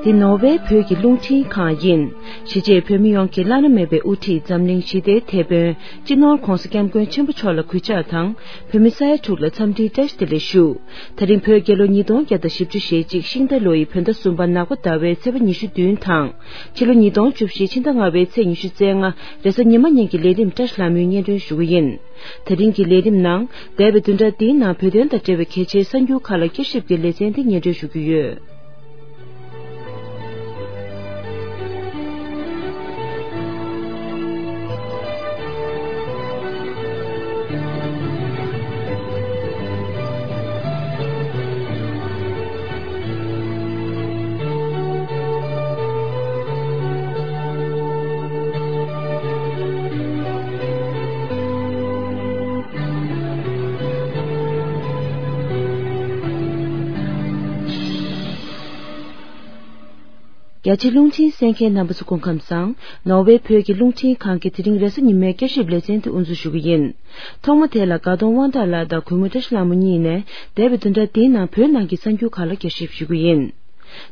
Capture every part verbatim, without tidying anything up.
འདི་ནོར་ཝེ་བོད་ཀྱི་རླུང་འཕྲིན་ཁང་ཡིན། གཞིས་བྱེས་བོད་མི་ཡོངས་ཀྱི་བླ་ན་མེད་པའི་དབུ་ཁྲིད་འཛམ་གླིང་ཞི་བདེའི་དེད་དཔོན་སྤྱི་ནོར་༧གོང་ས་༧སྐྱབས་མགོན་ཆེན་པོ་མཆོག་ལ་གུས་ཕྱག་དང་། བོད་མི་ས་ཡ་དྲུག་ལ་འཚམས་འདྲིའི་བཀྲ་ཤིས་བདེ་ལེགས་ཞུ། ད་རིང་བོད་རྒྱལ་ལོ་ཉིས་སྟོང་བརྒྱ་དང་བཞི་བཅུ་ཞེ་གཅིག་ཤིང་རྟ་ལོ་ཡི་བོད་ཟླ་གསུམ་པ་ནག་པ་ཟླ་བའི་ཚེས་པ་ཉི་ཤུ་བདུན་དང་། ཕྱི་ལོ་ཉིས་སྟོང་བཅུ་བཞི་ཕྱི་ཟླ་ལྔ་པའི་ཚེས་ཉི་ཤུ་རྩ་ལྔ་རེས་གཟའ་ཉི་མ་ཉིན་གྱི་ལས་རིམ་བཀྲ་ཤིས་ལྷ་མོའི་སྙན་སྒྲོན་ཞུ་གི་ཡིན། དེ་རིང་གི་ལས་རིམ་ནང་འདས་པའི་བདུན་ཕྲག་འདིའི་ནང་བོད་དོན་དང་འབྲེལ་བའི་གལ་ཆེའི་གསར་འགྱུར་ཁག་ལ་བསྐྱར་ཞིབ་ཀྱི་ལེ་ཚན་འདི་སྙན་སྒྲོན་ཞུ་རྒྱུ་ཡོད། རྒྱ་ཆེ་རླུང་འཕྲིན་གསན་མཁན་རྣམ་པ་ཚོ་སྐུ་ཁམས་བཟང་། ནོར་ཝེ་བོད་ཀྱི་རླུང་འཕྲིན་ཁང་གི་དེ་རིང་རེས་གཟའ་ཉི་མའི་བསྐྱར་ཞིབ་ལེ་ཚན་དེ་དབུ་འཛུགས་ཞུ་གི་ཡིན། ཐོག་མ་དེ་ལ་དགའ་གདོང་དབང་གྲགས་ལགས་དང་གུས་མོ་བཀྲ་ཤིས་ལྷ་མོ་གཉིས་ནས་འདས་པའི་བདུན་ཕྲག་འདིའི་ནང་བོད་ནང་གི་གསར་འགྱུར་ཁག་ལ་བསྐྱར་ཞིབ་ཞུ་གི་ཡིན།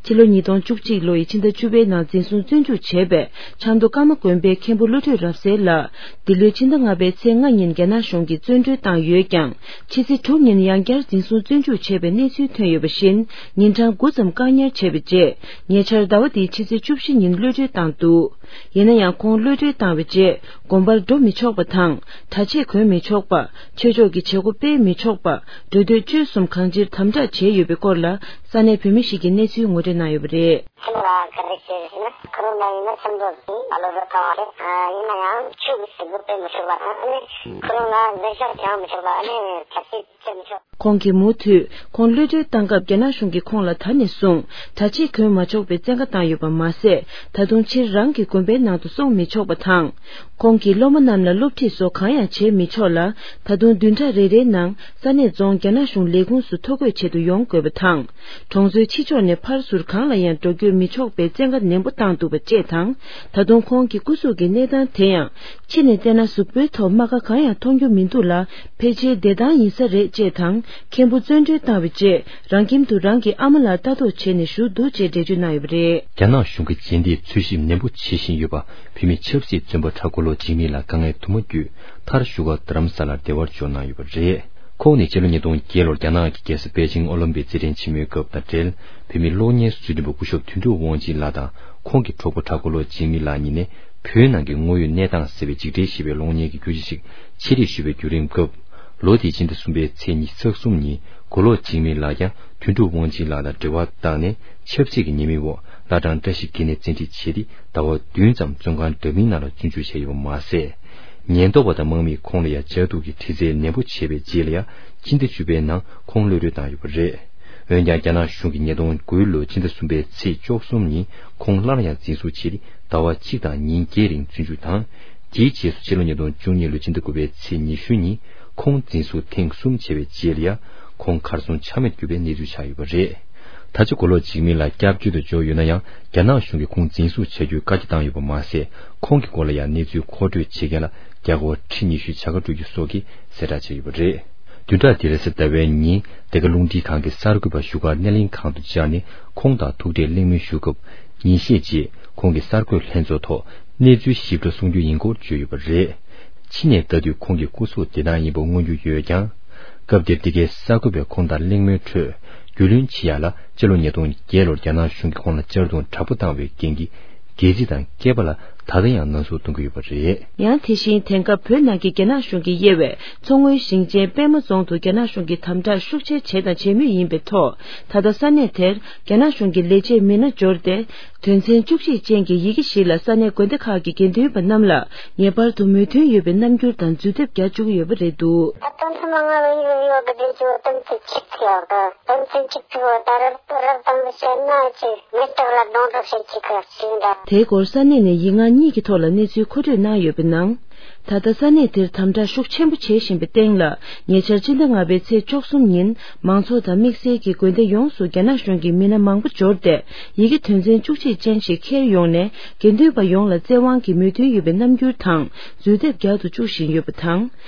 ཕྱི་ལོ་ཉིས་སྟོང་བཅུ་གཅིག་ལོ་ཡི་ཕྱི་ཟླ་བཅུ་པའི་ནང་འཛིན་བཟུང་བཙོན་འཇུག་བྱས་པའི་ཆབ་མདོ་ཀརྨ་དགོན་པའི་མཁན་པོ་བློ་གྲོས་རབ་གསལ་ལགས། འདི་ལོའི་ཕྱི་ཟླ་ལྔ་པའི་ཚེས་ལྔ་ཉིན་རྒྱ་ནག་གཞུང་གིས་བཙོན་གྲོལ་བཏང་ཡོད་ཀྱང་། ཕྱི་ཚེས་དྲུག་ཉིན་ཡང་བསྐྱར་འཛིན་བཟུང་བཙོན་འཇུག་བྱས་པའི་གནས་ཚུལ་ཐོན་ཡོད་པ་བཞིན། ཉིན་གྲངས་དགུ་ཙམ་བཀག་ཉར་བྱས་པའི་རྗེས། ཉེ་ཆར་ཟླ་བ་འདིའི་ཕྱི་ཚེས་བཅུ་བཞི་ཉིན་གློད་གྲོལ་བཏང་འདུག་ཡིན་ན་ཡང་ཁོང་གློད་གྲོལ་བཏང་བའི་རྗེས། དགོན་པར་འགྲོ་མི་ཆོག་པ་དང་། གྲྭ་ཆས་གོན་མི་ཆོག་པ། ཆོས་ཕྱོགས་ཀྱི་བྱེད་སྒོ་སྤེལ་མི་ཆོག་པ། འགྲོ་སྡོད་སྤྱོད་གསུམ་གང་ཅིར་དམ་དྲག་བྱས་ཡོད་པའི་སྐོར་ལ། ས་གནས་བོད་མི་ཞིག་གིས་གནས་ཚུལ་ངོ་སྤྲོད་གནང་ཡོད་པ་རེད། ཁྱིམ་ལ་ག་རེ་བྱས་ཟེར་ན། ཁོ་རང་ལ་ཡིན་ན་ཆབ་མདོ་ཟིན་ཨ་ལོ་ར་བཏང་བ་རེད། ཨ་ཡིན་ན་ཡང་ཆོས་ཀྱི་བྱེད་སྒོ་སྤེལ་མི་ཆོག་པ་དང་། ཨ་ནི་ཁོ་རང་ལ་འཛིན་བཤགས་བྱང་མི་ཆོག་པ། ཨ་ནི་གྲྭ་ཆས་བྱེད་མི་ཆོག་ཁོང་གིས་མུ་མཐུད་ཁོང་གློད་གྲོལ་བཏང་སྐབས་རྒྱ་ནག་གཞུང་གིས་ཁོང་ལ་ད་ནས་བཟུང་གྲྭ་ཆས་གོན་མ་ཆོག་པའི་བཙན་བཀའ་བཏང་ཡོད་པ་མ་ཟད། ད་དུང་ཕྱིར་རང་གི་དགོན་པའི་ནང་དུ་སོང་མི་ཆོག་པ་དང་། ཁོང་གིས་སློབ་མ་རྣམས་ལ་སློབ་ཁྲིད་སོགས་གང་ཡང་བྱེད་མི་ཆོག་ལ། ད་དུང་བདུན་ཕྲག་རེ་རེའི་ནང་ས་གནས་རྫོང་རྒྱ་ནག་གཞུང་ལས་ཁུངས་སུ་ཐོ་འགོད་བྱེད་དུ་ཡོང་དགོས་པ་དང་། གྲོང་ཚོའི་ཕྱི་ཕྱོགས་ནས་ཕར་ཚུར་གང་ལ་ཡང་འགྲོ་སྐྱོད་མི་ཆོག་པའི་བཙན་བཀའ་ནན་པོ་བཏང་འདུག་པ་བཅས་དང་། ད་དུང་ཁོང་གི་སྐུ་གཟུགས་ཀྱི་གནས་སྟངས་དེ་ཡང་། ཕྱི་ནས་བལྟས་ན་གཟུགས་པོའི་ཐོག་རྨ་ཁ་གང་ཡང་མཐོང་རྒྱུ་མི་འདུག་ལ། ཕལ་ཆེར་བདེ་ཐང་ཡིན་ས་རེད་ཅེས་དང་། མཁན་པོ་བཙོན་གྲོལ་བཏང་བའི་རྗེས། རང་ཁྱིམ་དུ་རང་གི་ཨ་མ་ལགས་ལྟ་རྟོག་བྱས་ནས་བཞུགས་འདུག་ཅེས་འགྲེལ་བརྗོད་གནང་ཡོད་པ་རེད། རྒྱ་ནག་གཞུང་གིས་རྗེས་འདེད་འཚོལ་ཞིབ་ནན་པོ་བྱེད་བཞིན་ཡོད་པ། བོད་མི་ཆབ་སྲིད་བཙོན་པ་གྲྭ་མགོ་ལོ་འཇིགས་མེད་ལགས་དཀའ་ངལ་དུ་མ་བརྒྱུད། མཐར་བཞུགས་སྒར་རྡ་རམ་ས་ལར་བདེ་བར་འབྱོར་གནང་ཡོད་པ་རེད། ཁོང་ནི་ཕྱི་ལོ་ཉིས་སྟོང་བརྒྱད་ལོར་རྒྱ་ནག་གི་རྒྱལ་ས་པེ་ཅིང་ཨོ་ལིམ་པིག་རྩེད་འགྲན་ཆེན་མོའི་སྐབས་དང་འབྲེལ། བོད་མིའི་གློག་བརྙན་བཟོ་སྐྲུན་པ་སྐུ་ཞབས་དོན་གྲུབ་དབང་ཆེན་ལགས་དང་། ཁོང་གི་གྲོགས་པོ་གྲྭ་མགོ་ལོ་འཇིགས་མེད་ལགས་གཉིས་ནས། བོད་ནང་གི་དངོས་ཡོད་གནས་སྟངས་གསལ་བའི་འཇིགས་བྲལ་ཞེས་པའི་གློག་བརྙན་གྱི་བརྒྱུད་བཤད་ཅིག་ཆེད་སྒྲིག་ཞུས་པའི་བརྒྱུད་རིམ་སྐབས། ལོ་དེའི་སྤྱི་ཟླ་གསུམ་པའི་ཚེས་ཉི་ཤུ་རྩ་གསུམ་ཉིན། མགོ་ལོག་འཇིགས་མེད་ལགས་ཀྱང་དོན་གྲུབ་དབང་ཆེན་ལགས་དང་འབྲེལ་བ་བཏང་ནས། ཆབ་སྲིད་ཀྱི་ཉེས་མིང་འོག་བླ་བྲང་བཀྲ་ཤིས་དགེ་གནས་བཙན་ཁྲིད་བྱས་ཏེ། ཟླ་བ་བདུན་ཙམ་བཙོན་ཁང་འདྲ་མིན་ནང་ལ་བཙོན་འཇུག་བྱས་ཡོད་པ་མ་ཟད། ཉེན་རྟོག་པ་དང་དམག་མིས་ཁོང་ལ་ཡང་ལྕགས་ཐུག་གིས་དྲི་རྩད་ནན་པོ་བྱས་པའི་རྗེས་ལ་ཡང་། སྤྱི་ཟླ་བཅུ་པའི་ནང་ཁོང་གློད་གྲོལ་བཏང་ཡོད་པ་རེད། འོན་ཀྱང་། རྒྱ་ནག་གཞུང་གིས་ཉིས་སྟོང་དགུ་ལོའི་སྤྱི་ཟླ་གསུམ་པའི་ཚེས་བཅུ་གསུམ་ཉིན་ཁོང་སླར་ཡང་འཛིན་བཟུང་བྱས་ཏེ། ཟླ་བ་གཅིག་དང་ཉིན་བརྒྱད་རིང་བཙོན་འཇུག་དང་། དེའི་རྗེས་སུ་ཕྱི་ལོ་ཉིས་སྟོང་བཅུ་གཉིས་ལོའི་སྤྱི་ཟླ་དགུ་པའི་ཚེས་ཉི་ཤུ་ཉིན་ཁོང་འཛིན་བཟུང་ཐེངས་གསུམ་བྱས་པའི་རྗེས་ལ་ཡང་། ཁོང་གར་སོང་ཆ་མེད་གྱུར་པའི་གནས་ཚུལ་ཆགས་ཡོད་པ་རེད། ད་ཆ་མགོ་ལོག་འཇིགས་མེད་ལགས་སྐྱབས་བཅོལ་དུ་འབྱོར་ཡོད་ན་ཡང་། རྒྱ་ནག་གཞུང་གིས་ཁོང་འཛིན་བཟུང་བྱ་རྒྱུའི་བཀའ་རྒྱ་བཏང་ཡོད་པ་མ་ཟད། ཁོང་གི་སྐོར་ལ་ཡང་གནས་ཚུལ་མཁོ་སྤྲོད་བྱེད་མཁན་ལ་རྒྱ་སྒོར་ཁྲི་ཉི་ཤུའི་བྱ་དགའ་སྤྲོད་རྒྱུ་སོགས་ཀྱི་གསལ་བསྒྲགས་བྱས་ཡོད་པ་རེད། བདུན་ཕྲག་འདིའི་རེས་གཟའ་ཟླ་བའི་ཉིན། འདི་ག་རླུང་འཕྲིན་ཁང་གི་གསར་འགོད་པ་བཞུགས་སྒར་སྣེ་ལེན་ཁང་དུ་བཅར་ནས། ཁོང་དང་ཐུག་འཕྲད་གླེང་མོལ་ཞུ་སྐབས། ཉིན་ཤས་རྗེས་ཁོང་གིས་གསར་འགོད་ལྷན་ཚོགས་ཐོག་གནས་ཚུལ་ཞིབ་ཕྲ་གསུང་རྒྱུ་ཡིན་སྐོར་བརྗོད་ཡོད་པ་རེད། ཕྱི་ནས་ལྟ་དུས་ཁོང་གི་སྐུ་གཟུགས་བདེ་ཐང་ཡིན་པ་མངོན་རྒྱུ་ཡོད་ཀྱང་། སྐབས་དེར་འདི་གའི་གསར་འགོད་པས་ཁོང་དང་གླེང་མོལ་ཁྲོད། རྒྱུས་ལོན་བྱེད་ཡག་ལ། སྤྱི་ལོ་ཉིས་སྟོང་བརྒྱད་ལོར་རྒྱ་ནག་གཞུང་གིས་ཁོང་ལ་གཅར་རྡུང་དྲག་པོ་བཏང་བའི་རྐྱེན་གྱིས། སྒལ་ཚིགས་དང་སྐེད་པ་ལ་ད་ལྟ་ཡང་ན་ཟུག་གཏོང་གི་ཡོད་པ་རེད། ཡང་དེ་བཞིན་དེང་སྐབས་བོད་ནང་གི་རྒྱ་ནག་གཞུང་གིས་དབྱེ་བའི་མཚོ་སྔོན་ཞིང་ཆེན་པད་མ་རྫོང་དུ་རྒྱ་ནག་གཞུང་གིས་དམ་དྲག་ཤུགས་ཆེ་བྱས་དང་བྱེད་མུས་ཡིན་པའི་ཐོག་ད་ལྟ་ས་གནས་དེར་རྒྱ་ནག་གཞུང་གི་ལས་བྱེད་མི་སྣ་འབྱོར་ཏེ། དོན་ཚན་བཅུ་གཅིག་ཅན་གྱི་ཡི་གེ་ཞིག་ལ་ས་གནས་དགོན་སྡེ་ཁག་གི་དགེ་འདུན་པ་རྣམས་ལ་ངེས་པར་དུ་མོས་མཐུན་ཡོད་པའི་རྣམ་འགྱུར་དང་འཛུལ་ཐབས་རྒྱག་བཅུག་གི་ཡོད་པ་རེད་འདུག་ད་དོན་ཚན་ལྔ་བའི་ཡོ་གི་དེ་ཚོ་དོན་ཚན་གཅིག་ཚིག་ཡོད་གི་དོན་ཚན་གཅིག་ཚིག་བ་ད་རབ་ཏུ་རབ་དང་བཤད་ན་ཅི་མེ་སྟག་ལ་སྡོང་གྲོགས་བྱེད་ཅིག་གི་ཞིག་འདྲ། དེའི་སྐོར་ས་གནས་ནས་ཡིག་ངག་གཉིས་ཀྱི་ཐོག་ལ་གནས་ཚུལ་མཁོ་སྤྲོད་གནང་ཡོད་པའི་ནང་། ད་ལྟ་ས་གནས་དེར་དམ་དྲག་ཤུགས་ཆེན་པོ་བྱེད་བཞིན་པའི་སྟེང་ལ། ཉེ་ཆར་སྤྱི་ཟླ་ལྔ་པའི་ཚེས་བཅུ་གསུམ་ཉིན། མང་ཚོགས་དང་དམིགས་བསལ་གྱིས་དགོན་སྡེ་ཡོངས་སུ་རྒྱ་ནག་གཞུང་གི་མི་སྣ་མང་པོ་འབྱོར་ཏེ། ཡི་གེ་དོན་ཚན་བཅུ་གཅིག་ཅན་ཞིག་འཁྱེར་ཡོང་ནས། དགེ་འདུན་པ་ཡོངས་ལ་བཙན་དབང་གིས་མོས་མཐུན་ཡོད་པའི་རྣམ་འགྱུར་དང་། འཛུལ་ཐབས་རྒྱག་ཏུ་བཅུག་བཞིན་ཡོད་པ་དང་།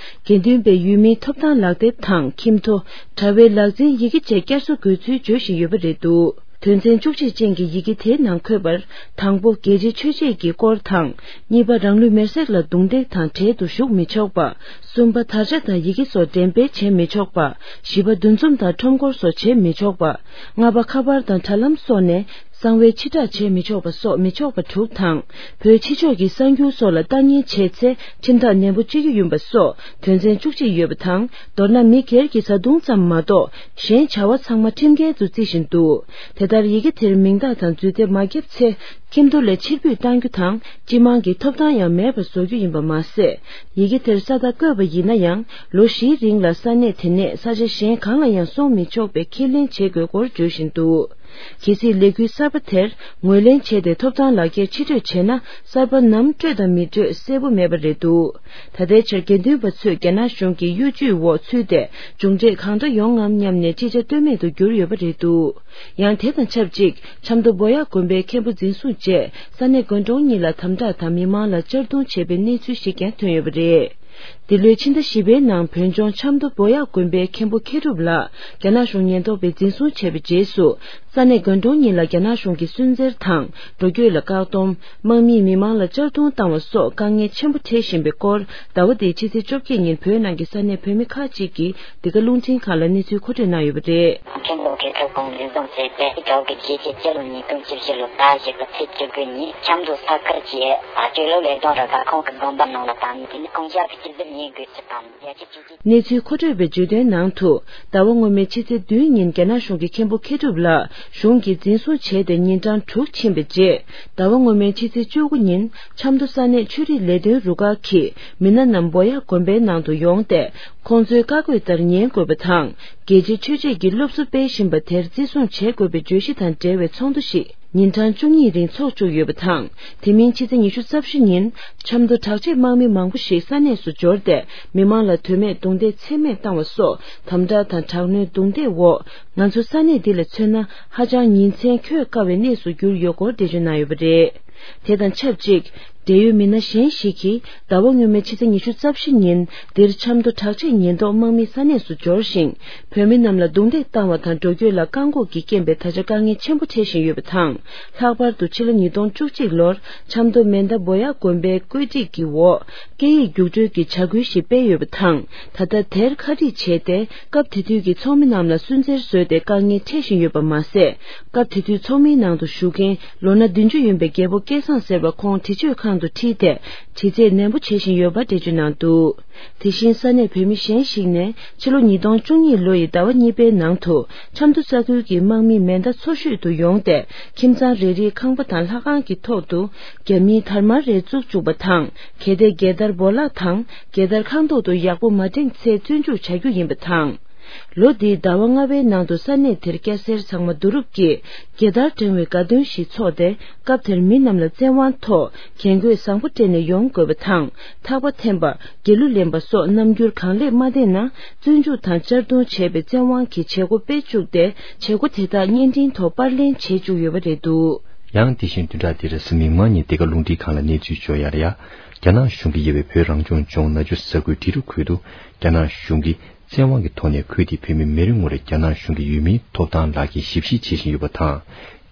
དགེ་འདུན་པའི་ཡུལ་མིའི་ཐོབ་ཐང་ལག་དེབ་དང་ཁྱིམ་ཐོ། དྲ་བའི་ལག་འཛིན་ཡི་གེ་བཅས་བསྐྱར་གསོ་དགོས་ཚུལ་བརྗོད་བཞིན་ཡོད་པ་རེད་འདུག་དོན་ཚན་བཅུ་གཅིག་ཅན་གྱི་ཡི་གེ་དེའི་ནང་འཁོད་པར། དང་པོ། རྒྱལ་གཅེས་ཆོས་གཅེས་ཀྱི་སྐོར་དང་། གཉིས་པ། རང་ལུས་མེར་སྲེག་ལ་རྡུང་རྡེག་དང་འབྲེལ་དུ་ཞུགས་མི་ཆོག་པ། གསུམ་པ། དར་ཆ་དང་ཡི་གེ་སོགས་འགྲེམས་སྤེལ་བྱེད་མི་ཆོག་པ། བཞི་པ། འདུ་འཛོམས་དང་ཁྲོམ་སྐོར་སོགས་བྱེད་མི་ཆོག་པ། ལྔ་པ། ཁ་པར་དང་དྲ་ལམ་སོགས་ནས། གསང་བའི་ཕྱིར་བསྒྲགས་བྱེད་མི་ཆོག་པ་སོགས་མི་ཆོག་པ་དྲུག་དང་། བོད་ཕྱི་ཕྱོགས་ཀྱི་གསར་འགྱུར་སོགས་ལ་ལྟ་ཉན་བྱས་ཚེ་ཁྲིམས་ཐག་ནན་པོ་གཅོད་རྒྱུ་ཡིན་པ་སོགས་དོན་ཚན་བཅུ་གཅིག་ཡོད་པ་དང་། མདོར་ན་མི་སྒེར་གྱི་བཟའ་བཏུང་ཙམ་མ་གཏོགས་གཞན་བྱ་བ་ཚང་མ་ཁྲིམས་འགལ་དུ་བརྩི་བཞིན་འདུག་དེ་ལྟར་ཡི་གེ་དེར་མིང་རྟགས་དང་རྫུས་དེབ་མ་བརྒྱབ་ཚེ་ཁྱིམ་ཐོག་ལས་ཕྱིར་འབུད་གཏང་རྒྱུ་དང་། སྤྱི་དམངས་ཀྱི་ཐོབ་ཐང་ཡང་མེད་པར་བཟོ་རྒྱུ་ཡིན་པ་མ་ཟད། ཡི་གེ་དེར་ས་རྟགས་བཀོད་པ་ཡིན་ན་ཡང་ལོ་བཞིའི་རིང་ལ་ས་གནས་དེ་ནས་ས་ཆ་གཞན་གང་ལ་ཡང་སོང་མི་ཆོག་པའི་ཁས་ལེན་བྱེད་དགོས་སྐོར་བརྗོད་བཞིན་འདུག་གལ་སྲིད་ལས་འགུལ་གསར་པ་དེར་ངོས་ལེན་བྱས་ཏེ་ཐོབ་ཐང་ལག་ཁྱེར་ཕྱིར་སྤྲོད་བྱས་ན། གསར་པ་ནམ་སྤྲོད་དང་མི་སྤྲོད་གསལ་པོ་མེད་པ་རེད་འདུག་ད་ལྟའི་ཆར་དགེ་འདུན་པ་ཚོས་རྒྱ་ནག་གཞུང་གི་གཡོ་ཇུས་འོག་ཚུད་དེ་མཇུག་འབྲས་གང་འདྲ་ཡོང་ངམ་སྙམ་ནས་ཅི་བྱ་གཏོལ་མེད་དུ་གྱུར་ཡོད་པ་རེད་འདུག་ཡང་དེ་དང་ཆབས་ཅིག་ཆབ་མདོ་བོ་ཡག་དགོན་པའི་མཁན་པོ་འཛིན་བཟུང་རྗེས་ས་གནས་དགོན་གྲོང་གཉིས་ལ་དམ་དྲག་དང་མི་མང་ལ་གཅར་རྡུང་བྱས་པའི་གནས་ཚུལ་ཞིག་ཀྱང་ཐོན་ཡོད་པ་རེད། འདི་ལོའི་ཕྱི་ཟླ་བཞི་པའི་ནང་བོད་ལྗོངས་ཆབ་མདོ་བོ་ཡག་དགོན་པའི་མཁན་པོ་མཁས་གྲུབ་ལགས་རྒྱ་ནག་གཞུང་ཉེན་རྟོག་པས་འཛིན་བཟུང་བྱས་པའི་རྗེས་སུ། ས་གནས་དགོན་གྲོང་གཉིས་ལ་རྒྱ་ནག་གཞུང་གིས་སུན་གཙེར་དང་འགྲོ་སྐྱོད་ལ་བཀག་སྡོམ། དམག་མིས་མི་མང་ལ་གཅར་རྡུང་བཏང་བ་སོགས་དཀའ་ངལ་ཆེན་པོ་འཕྲད་བཞིན་པའི་སྐོར། ཟླ་བ་འདིའི་ཕྱི་ཚེས་བཅོ་བརྒྱད་ཉིན་བོད་ནང་གི་ས་གནས་བོད་མི་ཁག་ཅིག་གིས་འདི་ག་རླུང་འཕྲིན་ཁང་ལ་གནས་ཚུལ་མཁོ་སྤྲོད་གནང་ཡོད་པ་རེད། ཁྲིམས་ལུགས་ཀྱི་ཁྲིམས་ཁང་འཛིན་བཟུང་བྱས་ཏེ། ཇོ་གི་རྒྱལ་སྤྱི་སྤྱི་ལོ་ཉིས་སྟོང་བཅུ་བཞི་ལོ་ཟླ་བཞི་པའི་ཚེས་བཅུ་དགུ་ཉིན་ཆབ་མདོ་ས་ཁུལ་གྱི་སྤྱི་ལོ་ལས་དོན་རུ་ཁག་ཁོངས་ཀྱི་དགོན་པ་ནང་ལ་དང་དེ་ནི་ཀུང་ཤ་གི་སྤྱི་ཟླ་ཉིན་དགུ་ཚེས་དང་རྒྱལ་སྤྱི་སྤྱི་ཟླ། གནས་ཚུལ་མཁོ་སྤྲོད་པས་བརྗོད་དོན་ནང་དུ། ཟླ་བ་སྔོན་མའི་ཕྱི་ཚེས་བདུན་ཉིན་རྒྱ་ནག་གཞུང་གི་མཁན་པོ་མཁས་གྲུབ་ལགས་གཞུང་གིས་འཛིན་བཟུང་བྱས་ཏེ་ཉིན་གྲངས་དྲུག་ཕྱིན་པའི་རྗེས། ཟླ་བ་སྔོན་མའི་ཕྱི་ཚེས་བཅུ་དགུ་ཉིན་ཆབ་མདོ་ས་གནས་ཆོས་རིག་ལས་དོན་རུ་ཁག་གིས་མི་སྣ་རྣམས་བོ་ཡག་དགོན་པའི་ནང་དུ་ཡོང་སྟེ། ཁོང་ཚོའི་བཀའ་བཀོད་ལྟར་ཉན་དགོས་པ་དང་། རྒྱལ་གཅེས་ཆོས་གཅེས་ཀྱི་སློབ་གསོ་སྤེལ་བཞིན་པ་དེར་བརྩི་སྲུང་བྱེད་དགོས་པའི་བརྗོད་གཞི་དང་འབྲེལ་བའི་ཚོགས་འདུ་ཞིག་ཉིན་གྲངས་བཅུ་གཉིས་རིང་འཚོགས་བཅུག་ཡོད་པ་དང་། དེ་མིན་ཕྱི་ཚེས་ཉི་ཤུ་རྩ་བཞི་ཉིན་ཆབ་མདོ་དྲག་ཆས་དམག་མི་མང་པོ་ཞིག་ས་གནས་སུ་འབྱོར་ཏེ་མི་མང་ལ་དོན་མེད་རྡུང་རྡེག་ཚད་མེད་བཏང་བ་སོགས་དམ་དྲག་དང་དྲག་གནོན་རྡུང་རྡེག་འོག་ང་ཚོ་ས་གནས་འདི་ལ་མཚོན་ན་ཧ་ཅང་ཉིན་མཚན་འཁྱོལ་དཀའ་བའི་གནས་སུ་གྱུར་ཡོད་སྐོར་འགྲེལ་བརྗོད་གནང་ཡོད་པ་རེད། དེ་དང་ཆབས་ཅིག་འབྲེལ་ཡོད་མི་སྣ་གཞན་ཞིག་གིས་ཟླ་བ་སྔོན་མའི་ཕྱི་ཚེས་ཉི་ཤུ་རྩ་བཞི་ཉིན་འདིར་ཆབ་མདོ་དྲག་ཆས་ཉེན་རྟོག་དམག་མི་ས་གནས་སུ་འབྱོར་ཞིང་། བོད་མི་རྣམས་ལ་རྡུང་རྡེག་བཏང་བ་དང་འགྲོ་སྐྱོད་ལ་བཀག་འགོག་གི་རྐྱེན་པས་ད་ཆ་དཀའ་ངལ་ཆེན་པོ་འཕྲད་བཞིན་ཡོད་པ་དང་། ལྷག་པར་དུ་ཕྱི་ལོ་ཉིས་སྟོང་བཅུ་གཅིག་ལོར་ཆབ་མདོ་མེ་མདའ་བོ་ཡག་དགོན་པའི་བཀོད་སྒྲིག་གི་འོག་སྐད་ཡིག་རྒྱུགས་སྤྲོད་ཀྱི་བྱ་འགུལ་ཞིག་སྤེལ་ཡོད་པ་དང་། ད་ལྟ་དེར་ཁ་རིག་བྱས་ཏེ། སྐབས་དེ་དུས་ཀྱི་ཚོགས་མི་རྣམས་ལ་སུན་གཙེར་བཟོས་ཏེ་དཀའ་ངལ་འཕྲད་བཞིན་ཡོད་པ་མ་ཟད། སྐབས་དེ་དུས་ཚོགས་མིའི་ནང་དུ་བཞུགས་མཁན་ལོ་ན་བདུན་ཅུ་ཡིན་པའི་རྒྱལ་པོ་སྐལ་བཟང་ཟེར་བ་ཁོང་འདྲི་གཅོད་ཁང་དུ་ཁྲིད་དེ་དྲི་རྩད་ནན་པོ་བྱེད་བཞིན་ཡོད་པ་འགྲེལ་བརྗོད་གནང་འདུག་དེ་བཞིན་ས་གནས་བོད་མི་གཞན་ཞིག་ནས་ཕྱི་ལོ་ཉིས་སྟོང་བཅུ་གཉིས་ལོ་ཡི་ཟླ་བ་གཉིས་པའི་ནང་དུ་ཆབ་མདོ་ས་ཁུལ་གྱི་དམག་མི་མེ་མདའ་མཚོ་ཤོད་དུ་ཡོང་སྟེ་ཁྱིམ་ཚང་རེ་རེའི་ཁང་པ་དང་ལྷ་ཁང་གི་ཐོག་ཏུ་རྒྱ་མིའི་དར་དམར་རེ་བཙུགས་བཅུག་པ་དང་། གལ་ཏེ་རྒྱལ་དར་སྦོ་ལག་དང་རྒྱལ་དར་ཁང་ཐོག་ཏུ་ཡག་པོ་མ་བསྒྲེངས་ཚེ་བཙོན་འཇུག་བྱ་རྒྱུ་ཡིན་པ་དང་། ལོ་འདིའི་ཟླ་བ་ལྔ་པའི་ནང་དུ་ས་གནས་དེར་སྐྱ་སེར་ཚང་མ་བསྡུ་རུབ་ཀྱིས་རྒྱལ་དར་བསྒྲེངས་བའི་དགའ་སྟོན་ཞིག་འཚོགས་ཏེ། སྐབས་དེར་མི་རྣམས་ལ་བཙན་དབང་ཐོག་རྒྱན་གོས་བཟང་པོ་སྤྲས་ནས་ཡོང་དགོས་པ་དང་། ཐག་པ་འཐེན་པ། དགེ་ལུགས་ལེན་པ་སོགས་རྣམ་འགྱུར་གང་ལེགས་མ་བསྟན་ན། བཙོན་འཇུག་དང་གཅར་རྡུང་བྱས་པའི་བཙན་དབང་གི་བྱེད་སྒོ་སྤེལ་བཅུག་སྟེ། བྱེད་སྒོ་དེ་དག་བརྙན་འཕྲིན་ཐོག་པར་ལེན་བྱེད་བཅུག་ཡོད་པ་རེད་འདུག་ཡང་དེ་བཞིན་བདུན་ཕྲག་འདིར་གཟའ་མིག་དམར་ཉིན་འདི་ག་རླུང་འཕྲིན་ཁང་ལ་གནས་ཚུལ་འབྱོར་ཡག་ལ་ཡ། རྒྱ་ནག་གཞུང་གིས་དབྱེ་བའི་བོད་རང་སྐྱོང་ལྗོངས་ནག་ཆུ་ས་ཁུལ་འབྲི་རུ་ཁུལ་དུ་རྒྱ་ནག་གཞུང་གིས་བཙན་དབང་གི་ཐོག་ནས་ཁུལ་དེའི་བོད་མི་མི་རེ་ངོ་རེར་རྒྱ་ནག་གཞུང་གི་ཡུལ་མིའི་ཐོབ་ཐང་ལག་འཁྱེར་ཞིབ་བཤེར་བྱེད་བཞིན་ཡོད་པ་དང་།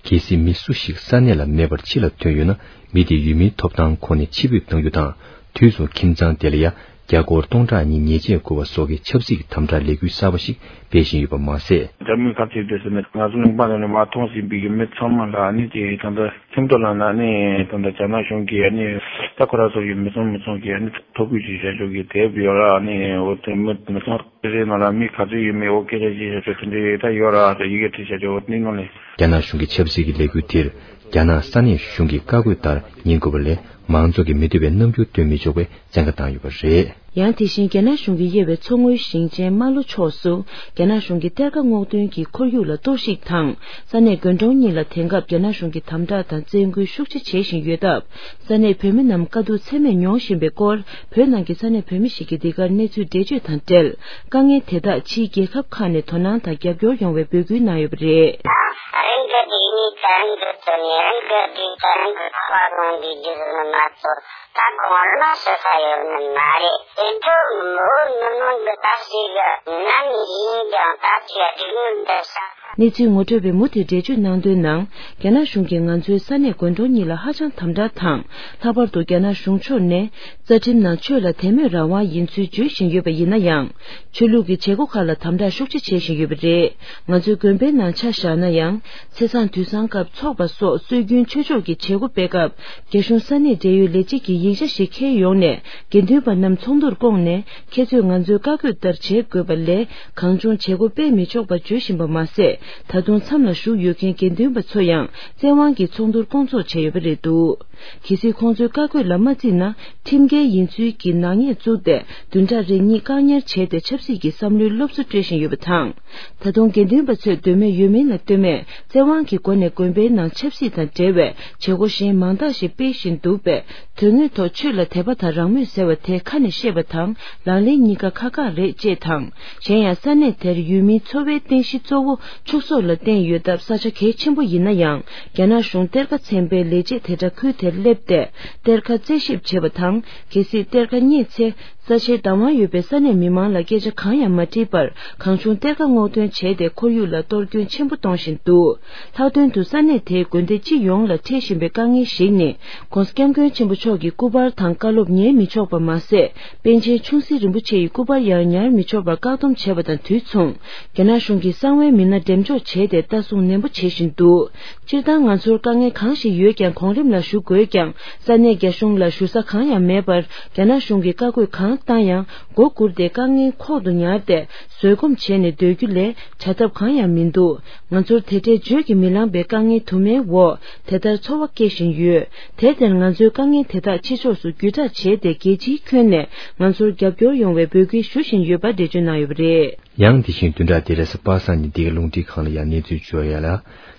གལ་སྲིད་མི་སུ་ཞིག་ས་གནས་ལ་མེད་པར་ཕྱི་ལ་ཐོན་ཡོད་ན། མི་དེའི་ཡུལ་མིའི་ཐོབ་ཐང་ཁོ་ནས་ཕྱིར་འབུད་གཏོང་རྒྱུ་དང་། དུས་མཚུངས་ཁྱིམ་ཚང་དེ་ལ་ཡང་རྒྱ་སྒོར་སྟོང་ཕྲག་གཉིས་ཉེས་ཆད་བཀོད་པ་སོགས་ཀྱི་ཆབ་སྲིད་ཀྱི་དམ་དྲག་ལས་འགུལ་གསར་པ་ཞིག་སྤེལ་བཞིན་ཡོད་པ་མ་ཟད། རྒྱ་མི་ཁ་ཆེ་དེ་ཟེར་ནས་ང་ཚོ་ལུང་པ་ནང་ནས་མར་ཐོན་ཟིན་པའི་ཡུལ་མི་ཚང་མ་ལ་ནི་ཅིག་ད་ལྟ་ཁྲིམས་ཐོག་ལ་ན་ནི་ད་ལྟ་རྒྱ་ནག་གཞུང་གིས་ནི་ད་ཁོ་རང་ཚོ་ཡུལ་མི་ཚང་མི་ཚང་གིས་ནི་ཐོ་འགོད་ཅིག་བྱ་ཆོག་གི་དེབ་ཡོད་ལ་ནི་འོ་དེ་མི་མི་ཚང་རེ་རེ་ནང་ལ་མི་ག་ཚོད་ཡོད་མེད་འོ་སྐད་ཆ་ཅིག་བྱ་ཆོག་དེ་འདྲའི་ད་ཡོད་ར་ད་ཡི་གེ་བྲིས་བྱ་ཆོག་འོ་དེ་ནང་ལས། རྒྱ་ནག་གཞུང་གི་ཆབ་སྲིད་ཀྱི་ལས་འགུལ་དེར་རྒྱ་ནག་ས་གནས་གཞུང་གི་བཀའ་བཀོད་ལྟར་ཉན་དགོས་པ་ལས་མང་ཚོགས་ཀྱིས་མི་འདོད་པའི་རྣམ་འགྱུར་སྟོན་མི་ཆོག་པའི་བཙན་བཀའ་བཏང་ཡོད་པ་རེད། ཡང་དེ་བཞིན་རྒྱ་ནག་གཞུང་གིས་དབྱེ་བའི་མཚོ་སྔོན་ཞིང་ཆེན་རྨ་ལྷོ་ཕྱོགས་སུ་རྒྱ་ནག་གཞུང་གི་གཏེར་ཁ་སྔོག་འདོན་གྱི་ཁོར་ཡུག་ལ་གཏོར་བཤིག་དང་ས་གནས་དགོན་གྲོང་གཉིས་ལ་དེང་སྐབས་རྒྱ་ནག་གཞུང་གིས་དམ་དྲག་དང་བཙན་སྐུལ་ཤུགས་ཆེ་བྱེད་བཞིན་ཡོད་སྟབས། ས་གནས་བོད་མི་རྣམས་དཀའ་སྡུག་ཚད་མེད་མྱོང་བཞིན་པའི་སྐོར་བོད་ནང་གི་ས་གནས་བོད་མི་ཞིག་གིས་འདི་གར་གནས་ཚུལ་འགྲེལ་བརྗོད་དང་འབྲེལ། དཀའ་ངལ་དེ་དག་ཕྱིའི་རྒྱལ་ཁབ་ཁག་ནས་དོ་སྣང་དང་རྒྱབ་སྐྱོར་ཡོང་བའི་འབོད་སྐུལ་གནང་ཡོད་པ་རེད། རང་གི་སྡིག་ཉེས་ད་རང་གིས་བཙོང་ནས་རང་གི་སྡིག་ད་རང་གིས་ཁ་བ་ལོང་གི་རྒྱུ་ཟེར་ནི་མ་གཏོགས་ད་གོང་ལ་ཞུ་ས་ཡོད་ནི་མ་རེད། དེ་ཚོ་བོད་མི་མང་གི་ད་ཞིག་ནམ་ཡིན་ཀྱང་ད་ཅིག་སྡིག་ཉེས་འདི་བཤགས། གནས་ཚུལ་ངོ་སྤྲོད་པས་མུ་མཐུད་འགྲེལ་བརྗོད་གནང་དོན་ནང་། རྒྱ་ནག་གཞུང་གིས་ང་ཚོའི་ས་གནས་དགོན་གྲོང་གཉིས་ལ་ཧ་ཅང་དམ་དྲག་དང་། ལྷག་པར་དུ་རྒྱ་ནག་གཞུང་ཕྱོགས་ནས་རྩ་ཁྲིམས་ནང་ཆོས་ལ་དད་མོས་རང་དབང་ཡིན་ཚུལ་བརྗོད་བཞིན་ཡོད་པ་ཡིན་ན་ཡང་། ཆོས་ལུགས་ཀྱི་བྱེད་སྒོ་ཁག་ལ་དམ་དྲག་ཤུགས་ཆེ་བྱེད་བཞིན་ཡོད་པ་རེད། ང་ཚོའི་དགོན་པའི་ནང་ཆ་བཞག་ན་ཡང་། ཚེས་བཟང་དུས་བཟང་སྐབས་ཚོགས་པ་སོགས་སྲོལ་རྒྱུན་ཆོས་ཕྱོགས་ཀྱི་བྱེད་སྒོ་སྤེལ་སྐབས། རྒྱ་གཞུང་ས་གནས་འབྲེལ་ཡོད་ལས་བྱེད་ཀྱིས་ཡིག་ཆ་ཞིག་འཁྱེར་ཡོང་ནས། དགེ་འདུན་པ་རྣམས་ཚོགས་འདུར་བསྐོངས་ནས། ཁྱེད་ཚོས་ང་ཚོའི་བཀའ་བཀོད་ལྟར་བྱེད་དགོས་པ་ལས། གང་བྱུང་བྱེད་སྒོ་སྤེལ་མི་ཆོག་པ་བརྗོད་བཞིན་པ་མ་ཟད། ད་དུང་མཚམས་ལ་བཞུགས་ཡོད་མཁན་དགེ་འདུན་པ་ཚོ་ཡང་བཙན་དབང་གིས་ཚོགས་འདུར་བསྐོང་ཚོགས་བྱས་ཡོད་པ་རེད་འདུག་གལ་སྲིད་ཁོང་ཚོའི་བཀའ་བཀོད་ལ་མ་བརྩིས་ན། ཁྲིམས་འགལ་ཡིན་ཚུལ་གྱི་ནག་ཉེས་བཙུགས་ཏེ། བདུན་ཕྲག་རེ་གཉིས་བཀག་ཉར་བྱས་ཏེ། ཆབ་སྲིད་ཀྱི་བསམ་བློའི་སློབ་གསོ་སྤྲོད་བཞིན་ཡོད་པ་དང་། ད་དུང་དགེ་འདུན་པ་ཚོས་འདོད་མོས་ཡོད་མིན་ལ་ལྟོས་མེད། བཙན་དབང་གི་སྒོ་ནས་དགོན་པའི་ནང་ཆབ་སྲིད་དང་འབྲེལ་བའི་བྱེད་སྒོ་གཞན་མང་དག་ཞིག་སྤེལ་བཞིན་འདུག་པས། དོན་དངོས་ཐོག་ཆོས་ལ་དད་པ་དང་རང་མོས་ཟེར་བ་དེ་ཁ་ནས་བཤད་པ་དང་ལག་ལེན་གཉིས་ཀ་ཁག་ཁག་རེད་ཅེས་དང་། གཞན་ཡང་ས་གནས་དེར་ཡུལ་མིའི་འཚོ་བའི་རྟེན་གཞི་གཙོ་བོ་ཕྱུགས་ཟོག་ལ་བརྟེན་ཡོད་སྟབས། ས་ཆ་གལ་ཆེན་པོ་ཡིན་ན་ཡང་། རྒྱ་ནག་གཞུང་གཏེར་ཁ་ཚན་པའི་ལས་བྱེད་དེ་འདྲ་ཁུལ་དེར་སླེབས་ཏེ། གཏེར་ཁ་རྩད་ཞིབ་བྱེད་པ་དང་། གལ་སྲིད་གཏེར་ཁ་རྙེད་ཚེ། ས་ཆའི་བདག་དབང་ཡོད་པའི་ས་གནས་མི་མང་ལ་སྐད་ཆ་གང་ཡང་མ་དྲིས་པར། གང་བྱུང་གཏེར་ཁ་སྔོག་འདོན་བྱས་ཏེ། ཁོར་ཡུག་ལ་གཏོར་སྐྱོན་ཆེན་པོ་གཏོང་བཞིན་འདུག་ལྷག་དོན་དུ་ས་གནས་དེའི་དགོན་སྡེ་སྤྱི་ཡོངས་ལ་འཕྲད་བཞིན་པའི་དཀའ་ངལ་ཞིག་ནི། ༸གོང་ས་༸སྐྱབས་མགོན་ཆེན་པོ་མཆོག་གི་སྐུ་པར་དང་བཀའ་སློབ་ཉན་མི་ཆོག་པ་མ་ཟད། པཎ་ཆེན་ཆུང་སྲིད་རིན་པོ་ཆེ་ཡི་སྐུ་པར་ཡང་ཉར་མི་ཆོག་པར་བཀག་སྡོམ་བྱས་པ་དང་དུས་མཚུངས། རྒྱ་ནག་གཞུང་གིས་གསང་བའི་མི་སྣ་འགྲེམས་འཇོག་བྱས་ཏེ། ལྟ་སྲུང་ནན་པོ་བྱེད་བཞིན་འདུག་སྤྱིར་བཏང་ང་ཚོར་དཀའ་ངལ་གང་ཞིག་ཡོད་ཀྱང་། གོང་རིམ་ལ་ཞུ་དགོས་ཀྱང་། ས་གནས་རྒྱ་གཞུང་ལ་ཞུ་ས་གང་ཡང་མེད་པར། རྒྱ་ནག་གཞུང་གིས་བཀའ་བཀོད་གང་བཏང་ཡང་མགོ་སྒུར་ཏེ། དཀའ་ངལ་ཁོག་ཏུ་ཉར་ཏེ། བཟོད་སྒོམ་བྱས་ནས་སྡོད་རྒྱུ་ལས་བྱ་ཐབས་གང་ཡང་མི་འདུག་ང་ཚོར་དེ་འདྲའི་བརྗོད་ཀྱིས་མི་ལངས་པའི་དཀའ་ངལ་དུ་མའི་འོག་དེ་ལྟར་འཚོ་བ་སྐྱེལ་བཞིན་ཡོད། དེར་བརྟེན་ང་ཚོའི་དཀའ་ངལ་དེ་དག་ཕྱི་ཕྱོགས་སུ་བརྒྱུད་བསྒྲགས་བྱས་ཏེ། རྒྱལ་སྤྱིའི་ཁྱོན་ནས་ང་ཚོར་རྒྱབ་སྐྱོར་ཡོང་བའི་འབོད་སྐུལ་ཞུ་བཞིན་ཡོད་པ་འགྲེལ་བརྗོད་གནང་ཡོད་པ་རེད། ཡང་དེ་བཞིན་བདུན་ཕྲག་འདིར་གཟའ་པ་སངས་ཉིན་འདི་ག་རླུང་འཕྲིན་ཁང་ལ་ཡང་གནས་ཚུལ་འབྱོར་ཡོད་ལ།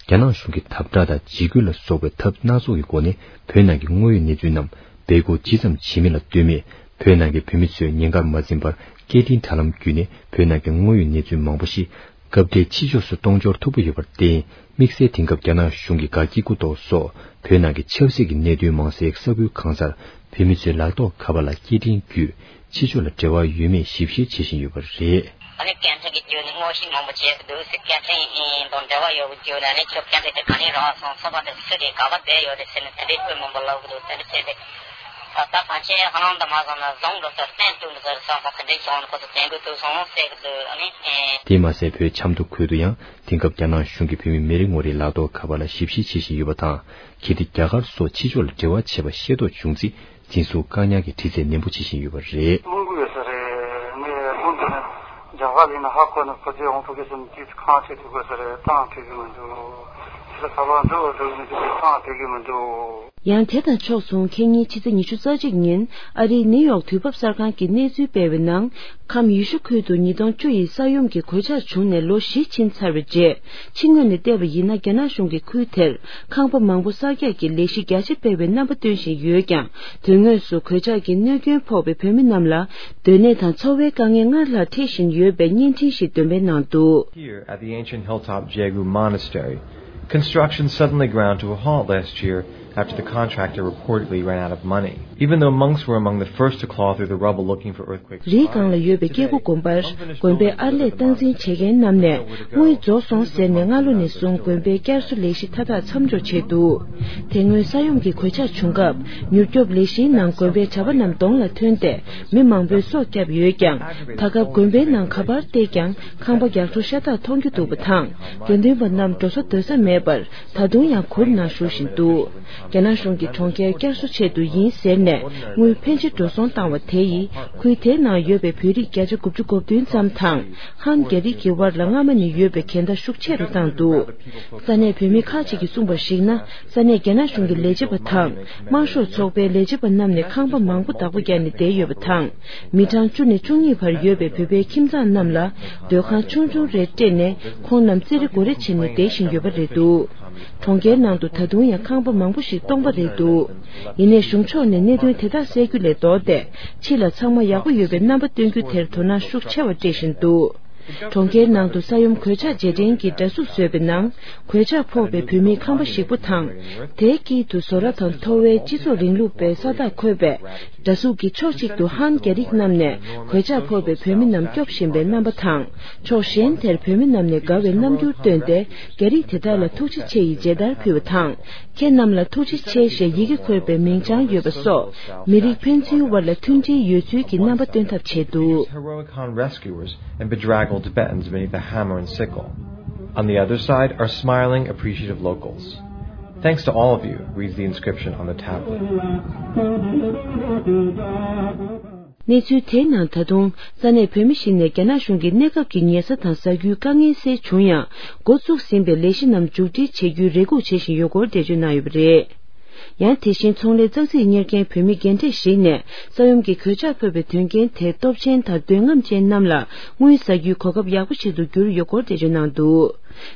རྒྱ་ནག་གཞུང་གིས་དམ་དྲག་དང་འཇིགས་སྐུལ་ལ་སོགས་པའི་ཐབས་སྣ་ཚོགས་ཀྱི་སྒོ་ནས་བོད་ནང་གི་དངོས་ཡོད་གནས་ཚུལ་རྣམས་སྦས་སྐུང་ཇི་ཙམ་བྱེད་མིན་ལ་ལྟོས་མེད། བོད་ནང་གི་བོད་མི་ཚོས་ཉེན་ཁར་མ་འཛེམས་པར་སྐད་འཕྲིན་དྲ་ལམ་བརྒྱུད་ནས་བོད་ནང་གི་དངོས་ཡོད་གནས་ཚུལ་མང་པོ་ཞིག་སྐབས་འཕྲལ་ཕྱི་ཕྱོགས་སུ་གཏོང་འབྱོར་ཐུབ་པ་ཡོད་པར་བརྟེན། དམིགས་བསལ་དེང་སྐབས་རྒྱ་ནག་གཞུང་གིས་དགའ་སྐྱིད་སྐུ་ཐོག་སོགས་བོད་ནང་གི་ཆབ་སྲིད་ཀྱི་གནད་དོན་མང་སའི་ས་ཁུལ་གང་སར་བོད་མི་ཚོས་ལག་ཐོགས་ཁ་པར་ལ་སྐད་འཕྲིན་བརྒྱུད། ཕྱི་ཕྱོགས་ལ་འབྲེལ་བ་ཡོད་མེད་ཞིབ་བཤེར་བྱེད་བཞིན་ཡོད་པ་རེད། ཨ་ནི་སྐད་འཕྲིན་གྱི་བརྒྱུད་ནས་དངོས་གཞི་མང་པོ་བྱས་འདུག་ཟེར། སྐད་འཕྲིན་དང་འབྲེལ་བ་ཡོད་པའི་བརྒྱུད་ནས། ཨ་ནི་ཁྱོད་སྐད་འཕྲིན་དེ་ག་ནས་རག་སོང་། ཚོད་དཔག་དེ་སུ་དེ་ག་པར་བསྡད་ཡོད་རེད་ཟེར་ནས་དེ་འདྲའི་དཔེ་མང་པོ་ལབ་གི་འདུག་དེ་འདྲ་བྱས་ཏེ། ད་ལྟ་ཕལ་ཆེར་ཧ་ལམ་དུ་མ་སོང་ན་བཟུང་འགྲོ་ཟེར། བསྟན་བཅུག་འགྲོ་ཟེར་སོང་ཙང་། དེ་འདྲའི་བྱུང་ནས་ཁོ་ཚོ་དྲན་གྱི་འདུག་སོང་ཟེར་གི་འདུག་ཨ་ནི་ཨེ། དེ་མ་ཟད། བོད་ཆབ་མདོ་ཁུལ་དུ་ཡང་དེང་སྐབས་རྒྱ་ནག་གཞུང་གིས་བོད་མི་མི་རེ་ངོ་རེའི་ལག་ཐོགས་ཁ་པར་ལ་ཞིབ་བཤེར་བྱེད་བཞིན་ཡོད་པ་དང་། གལ་ཏེ་རྒྱ་གར་སོགས་ཕྱི་ཕྱོགས་ལ་འབྲེལ་བ་བྱས་པ་ཤེས་རྟོགས་བྱུང་ཚེ། འཛིན་བཟུང་བཀག་ཉར་གྱི་དྲི་རྩད་ནན་པོ་བྱེད་བཞིན་ཡོད་པ་རེད། རླུང་བུ་ཡོད་ས་རེད། ངས་རླུང་དེ་ནི་རྒྱ་གར་ཡིན་ན་ཧ་གོ་ནས། ཁོ་ཚོས་འོང་ཐུབ་ཀྱི་སོང་དུས་ཁང་ཆེ་ཐུབ་དགོས་ས་རེད། ཏང་ཐུབ་ཀྱི་མི་འདུག་ཕྱི་ལ་ཁ་པར་འགྲོ་འགྲོ་གི་མི་འདུག་ཏང་ཐུབ་ཀྱི་མི་འདུག་ཡང་དེ་དང་ཕྱོགས་མཚུངས། ཁེ་ཉིན་ཕྱི་ཚེས་ཉི་ཤུ་རྩ་གཅིག་ཉིན་ཨ་རིའི་ནིའུ་ཡོག་དུས་བབ་གསར་ཁང་གིས་གནས་ཚུལ་སྤེལ་བའི་ནང་། ཁམས་ཡུལ་ཤུལ་ཁུལ་དུ་ཉིས་སྟོང་བཅུ་ཡི་ས་ཡོམ་གྱི་གོད་ཆག་བྱུང་ནས་ལོ་བཞི་ཕྱིན་ཚར་བའི་རྗེས། ཕྱི་ངོས་ནས་བལྟས་པ་ཡིན་ན། རྒྱ་ནག་གཞུང་གིས་ཁུལ་དེར་ཁང་པ་མང་པོ་གསར་རྒྱག་གི་ལས་གཞི་རྒྱ་ཆེ་སྤེལ་བའི་རྣམ་པ་སྟོན་བཞིན་ཡོད་ཀྱང་། དོན་དངོས་སུ་གོད་ཆག་གི་གནོད་སྐྱོན་ཕོག་པའི་བོད་མི་རྣམས་ལ་སྡོད་གནས་དང་འཚོ་བའི་དཀའ་ངལ་སྔར་ལྷག་འཕྲད་བཞིན་ཡོད་པའི་བརྙན་འཕྲིན་ཞིག་འདོན་སྤེལ་གནང་འདུག Here at the ancient hilltop Jegu Monastery, construction suddenly ground to a halt last year after the contractor reportedly ran out of money. Even though monks were among the first to claw through the rubble looking for earthquake རིའི་སྒང་ལ་ཡོད་པའི་སྐྱེ་རྒུ་དགོན་པར་དགོན་པའི་ཨར་ལས་སྟངས་འཛིན་བྱེད་མཁན་རྣམས་ནས་དངུལ་རྫོགས་སོང་ཟེར་ནས་སྔ་ལོ་ནས་བཟུང་དགོན་པའི་བསྐྱར་གསོ་ལས་གཞི་མཐའ་དག་མཚམས་འཇོག་བྱས་འདུག་དེ་སྔོན་ས་ཡོམ་གྱི་གོད་ཆག་བྱུང་སྐབས། མྱུར་སྐྱོབ་ལས་གཞིའི་ནང་དགོན་པའི་གྲྭ་པ་རྣམས་གདོང་ལ་ཐོན་ཏེ། མི་མང་པོས་སྲོག་བསྐྱབས་ཡོད་ཀྱང་། ད་སྐབས་དགོན་པའི་ནང་ག་པར་བལྟས་ཀྱང་ཁང་པ་རྒྱག་འཕྲོ་ཤ་སྟག་མཐོང་རྒྱུ་འདུག་པ་དང་། དགེ་འདུན་པ་རྣམས་འགྲོ་ས་སྡོད་ས་མེད་པར། ད་དུང་ཡང་གུར་ནང་བཞུགས་བཞིན་འདུག་རྒྱ་ནག་གཞུང་གིས་གྲོང་ཁྱེར་བསྐྱར་གསོ་ཆེད་དུ་ཡིན་ཟེར་ནས་དངུལ་ཕལ་ཆེར་འགྲོ་སོང་བཏང་བ་དེ་ཡིས། ཁུལ་དེའི་ནང་ཡོད་པའི་བོད་རིགས་བརྒྱ་ཆ་དགུ་བཅུ་གོ་བདུན་ཙམ་དང་། ཧན་རྒྱ་རིགས་ཀྱི་དབར་ལ་སྔ་མ་ནས་ཡོད་པའི་འགལ་ཟླ་ཤུགས་ཆེ་རུ་བཏང་འདུག་ས་གནས་བོད་མི་ཁག་ཅིག་གིས་གསུངས་པར་གཞིགས་ན། ས་གནས་རྒྱ་ནག་གཞུང་གི་ལས་བྱེད་པ་དང་། དམར་ཤོག་ཚོགས་པའི་ལས་བྱེད་པ་རྣམས་ནས་ཁང་པ་མང་པོ་བདག་པོ་བརྒྱབ་ནས་བསྡད་ཡོད་པ་དང་། མི་གྲངས་བཅུ་ནས་བཅུ་གཉིས་བར་ཡོད་པའི་བོད་པའི་ཁྱིམ་ཚང་རྣམས་ལ་སྡོད་ཁང་ཆུང་ཆུང་རེ་སྤྲད་ནས། ཁོང་རྣམས་རྩེད་རེ་སྒོ་རེ་བྱས་ནས་བསྡད་བཞིན་ཡོད་པ་རེད་འདུག་གྲོང་ཁྱེར་ནང་དུ་ད་དུང་ཡང་ཁང་པ་མང་པོ་ཞིག་སྟོང་པ་རེད་འདུག་ཡིན་ནའི་གཞུང་ཕྱོགས་ནས་གནད་དོན་དེ་དག་སེལ་རྒྱུ་ལས་ལྡོག་སྟེ། ཕྱི་ལ་ཚང་མ་ཡག་པོ་ཡོད་པའི་རྣམ་པ་སྟོན་རྒྱུ་དེར་དོ་སྣང་ཤུགས་ཆེ་བ་སྤྲད་བཞིན་འདུག་གྲོང་ཁྱེར་ནང་དུ་ས་ཡོམ་གོད་ཆག་རྗེས་དྲན་གྱི་འདྲ་གཟུགས་བཟོས་པའི་ནང་། གོད་ཆག་ཕོག་པའི་བོད་མིའི་ཁང་པ་ཞིག་པོ་དང་། དེའི་དཀྱིལ་དུ་བཟོ་གྲྭ་དང་མཐོ་བའི་སྤྱི་ཚོགས་རིང་ལུགས་པའི་ས་རྟགས་འཁོད་པའི་འདྲ་གཟུགས་ཀྱི་ཕྱོགས་གཅིག་ཏུ་ཧན་རྒྱ་རིགས་རྣམས་ནས་གོད་ཆག་ཕོག་པའི་བོད་མི་རྣམས་སྐྱོབ་བཞིན་པའི་རྣམ་པ་དང་། ཕྱོགས་གཞན་དེར་བོད་མི་རྣམས་ནས་དགའ་བའི་རྣམ་འགྱུར་བཏོན་ཏེ། རྒྱ་རིགས་དེ་དག་ལ་ཐུགས་རྗེ་ཆེ་ཡི་མཇལ་དར་ཕུལ་བ་དང་། ཁྱེད་རྣམས་ལ་ཐུགས་རྗེ་ཆེ་ཞེས་ཡི་གེ་འཁོད་པའི་མིང་བྱང་ཡོད་པ་སོགས། མི་རིགས་ཕན་ཚུན་དབར་ལ་མཐུན་སྒྲིལ་ཡོད་ཚུལ་གྱི་རྣམ་པ་སྟོན་ཐབས་བྱས་འདུག། Heroic Han rescuers and bedraggled Tibetans beneath a hammer and sickle. On the other side are smiling, appreciative locals. Thanks to all of you, reads the inscription on the tablet. གནས་ཚུལ་དེའི་ནང་ད་དུང་ས་གནས་བོད་མི་ཞིག་ནས་རྒྱ་ནག་གཞུང་གིས་གནས་སྐབས་ཀྱི་ཉལ་ས་དང་ཟ་རྒྱུའི་དཀའ་ངལ་སེལ་བྱུང་ཡང་། འགོ་བཙུགས་ཟིན་པའི་ལས་གཞི་རྣམས་མཇུག་སྒྲིལ་བྱེད་རྒྱུའི་རེ་སྒུག་བྱེད་བཞིན་ཡོད་སྐོར་འགྲེལ་བརྗོད་གནང་ཡོད་པ་རེད། ཡང་དེ་བཞིན་ཚོང་ལས་ཙག་ཙིག་གཉེར་མཁན་བོད་མི་རྒན་གྲས་ཤིག་ནས་ས་ཡོམ་གྱི་གོད་ཆག་ཕོག་པའི་དོན་རྐྱེན་དེ་སྟོབས་ཆེན་དང་འདོད་རྔམ་ཅན་རྣམས་ལ་དངུལ་ཟ་རྒྱུའི་གོ་སྐབས་ཡག་པོ་ཞིག་ཏུ་གྱུར་ཡོད་སྐོར་འགྲེལ་བརྗོད་གནང་འདུག།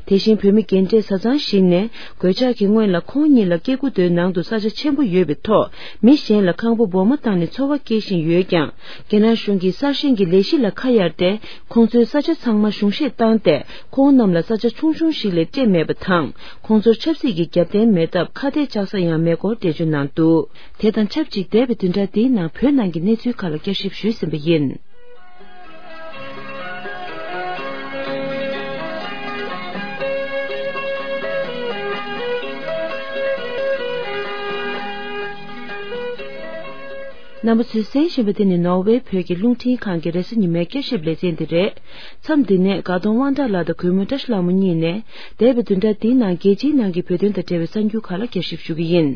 དེ་བཞིན་བོད་མི་རྒན་གྲས་བཟའ་ཚང་ཞིག་ནས་གོད་ཆག་གི་སྔོན་ལ་ཁོང་ཉིད་ལ་སྐྱེ་དགུ་མདོའི་ནང་དུ་ས་ཆ་ཆེན་པོ་ཡོད་པའི་ཐོག་མི་གཞན་ལ་ཁང་པ་སྦོར་མ་བཏང་ནས་འཚོ་བ་སྐྱེལ་བཞིན་ཡོད་ཀྱང་། རྒྱ་ནག་གཞུང་གིས་གསར་བཞེངས་ཀྱི་ལས་གཞི་ལ་ཁ་གཡར་ཏེ། ཁོང་ཚོའི་ས་ཆ་ཚང་མ་གཞུང་བཞེས་བཏང་སྟེ། ཁོང་རྣམས་ལ་ས་ཆ་ཆུང་ཆུང་ཞིག་ལས་སྤྲད་མེད་པ་དང་། ཁོང་ཚོར་ཆབ་སྲིད་ཀྱི་རྒྱབ་རྟེན་མེད་སྟབས་ཁ་གཏད་བཅག་ས་ཡང་མེད་སྐོར་འགྲེལ་བརྗོད་གནང་འདུག། དེ་དང་ཆབས་ཅིག་འདས་པའི་བདུན་ཕྲག་འདིའི་ནང་བོད་ནང་གི་གནས་ཚུལ་ཁག་ལ་བསྐྱར་ཞིབ་ཞུས་ཟིན་པ་ཡིན། རྣམ་པ་ཚོས་གསན་བཞིན་པ་དེ་ནི་ནོར་ཝེ་བོད་ཀྱི་རླུང་འཕྲིན་ཁང་གི་རེས་གཟའ་ཉི་མའི་བསྐྱར་ཞིབ་ལེ་ཚན་དེ་རེད། མཚམས་འདི་ནས་དགའ་གདོང་དབང་གྲགས་ལགས་དང་གུས་མོ་བཀྲ་ཤིས་ལྷ་མོ་གཉིས་ནས། འདས་པའི་བདུན་ཕྲག་འདིའི་ནང་རྒྱལ་སྤྱིའི་ནང་གི་བོད་དོན་དང་འབྲེལ་བའི་གསར་འགྱུར་ཁག་ལ་བསྐྱར་ཞིབ་ཞུ་གི་ཡིན།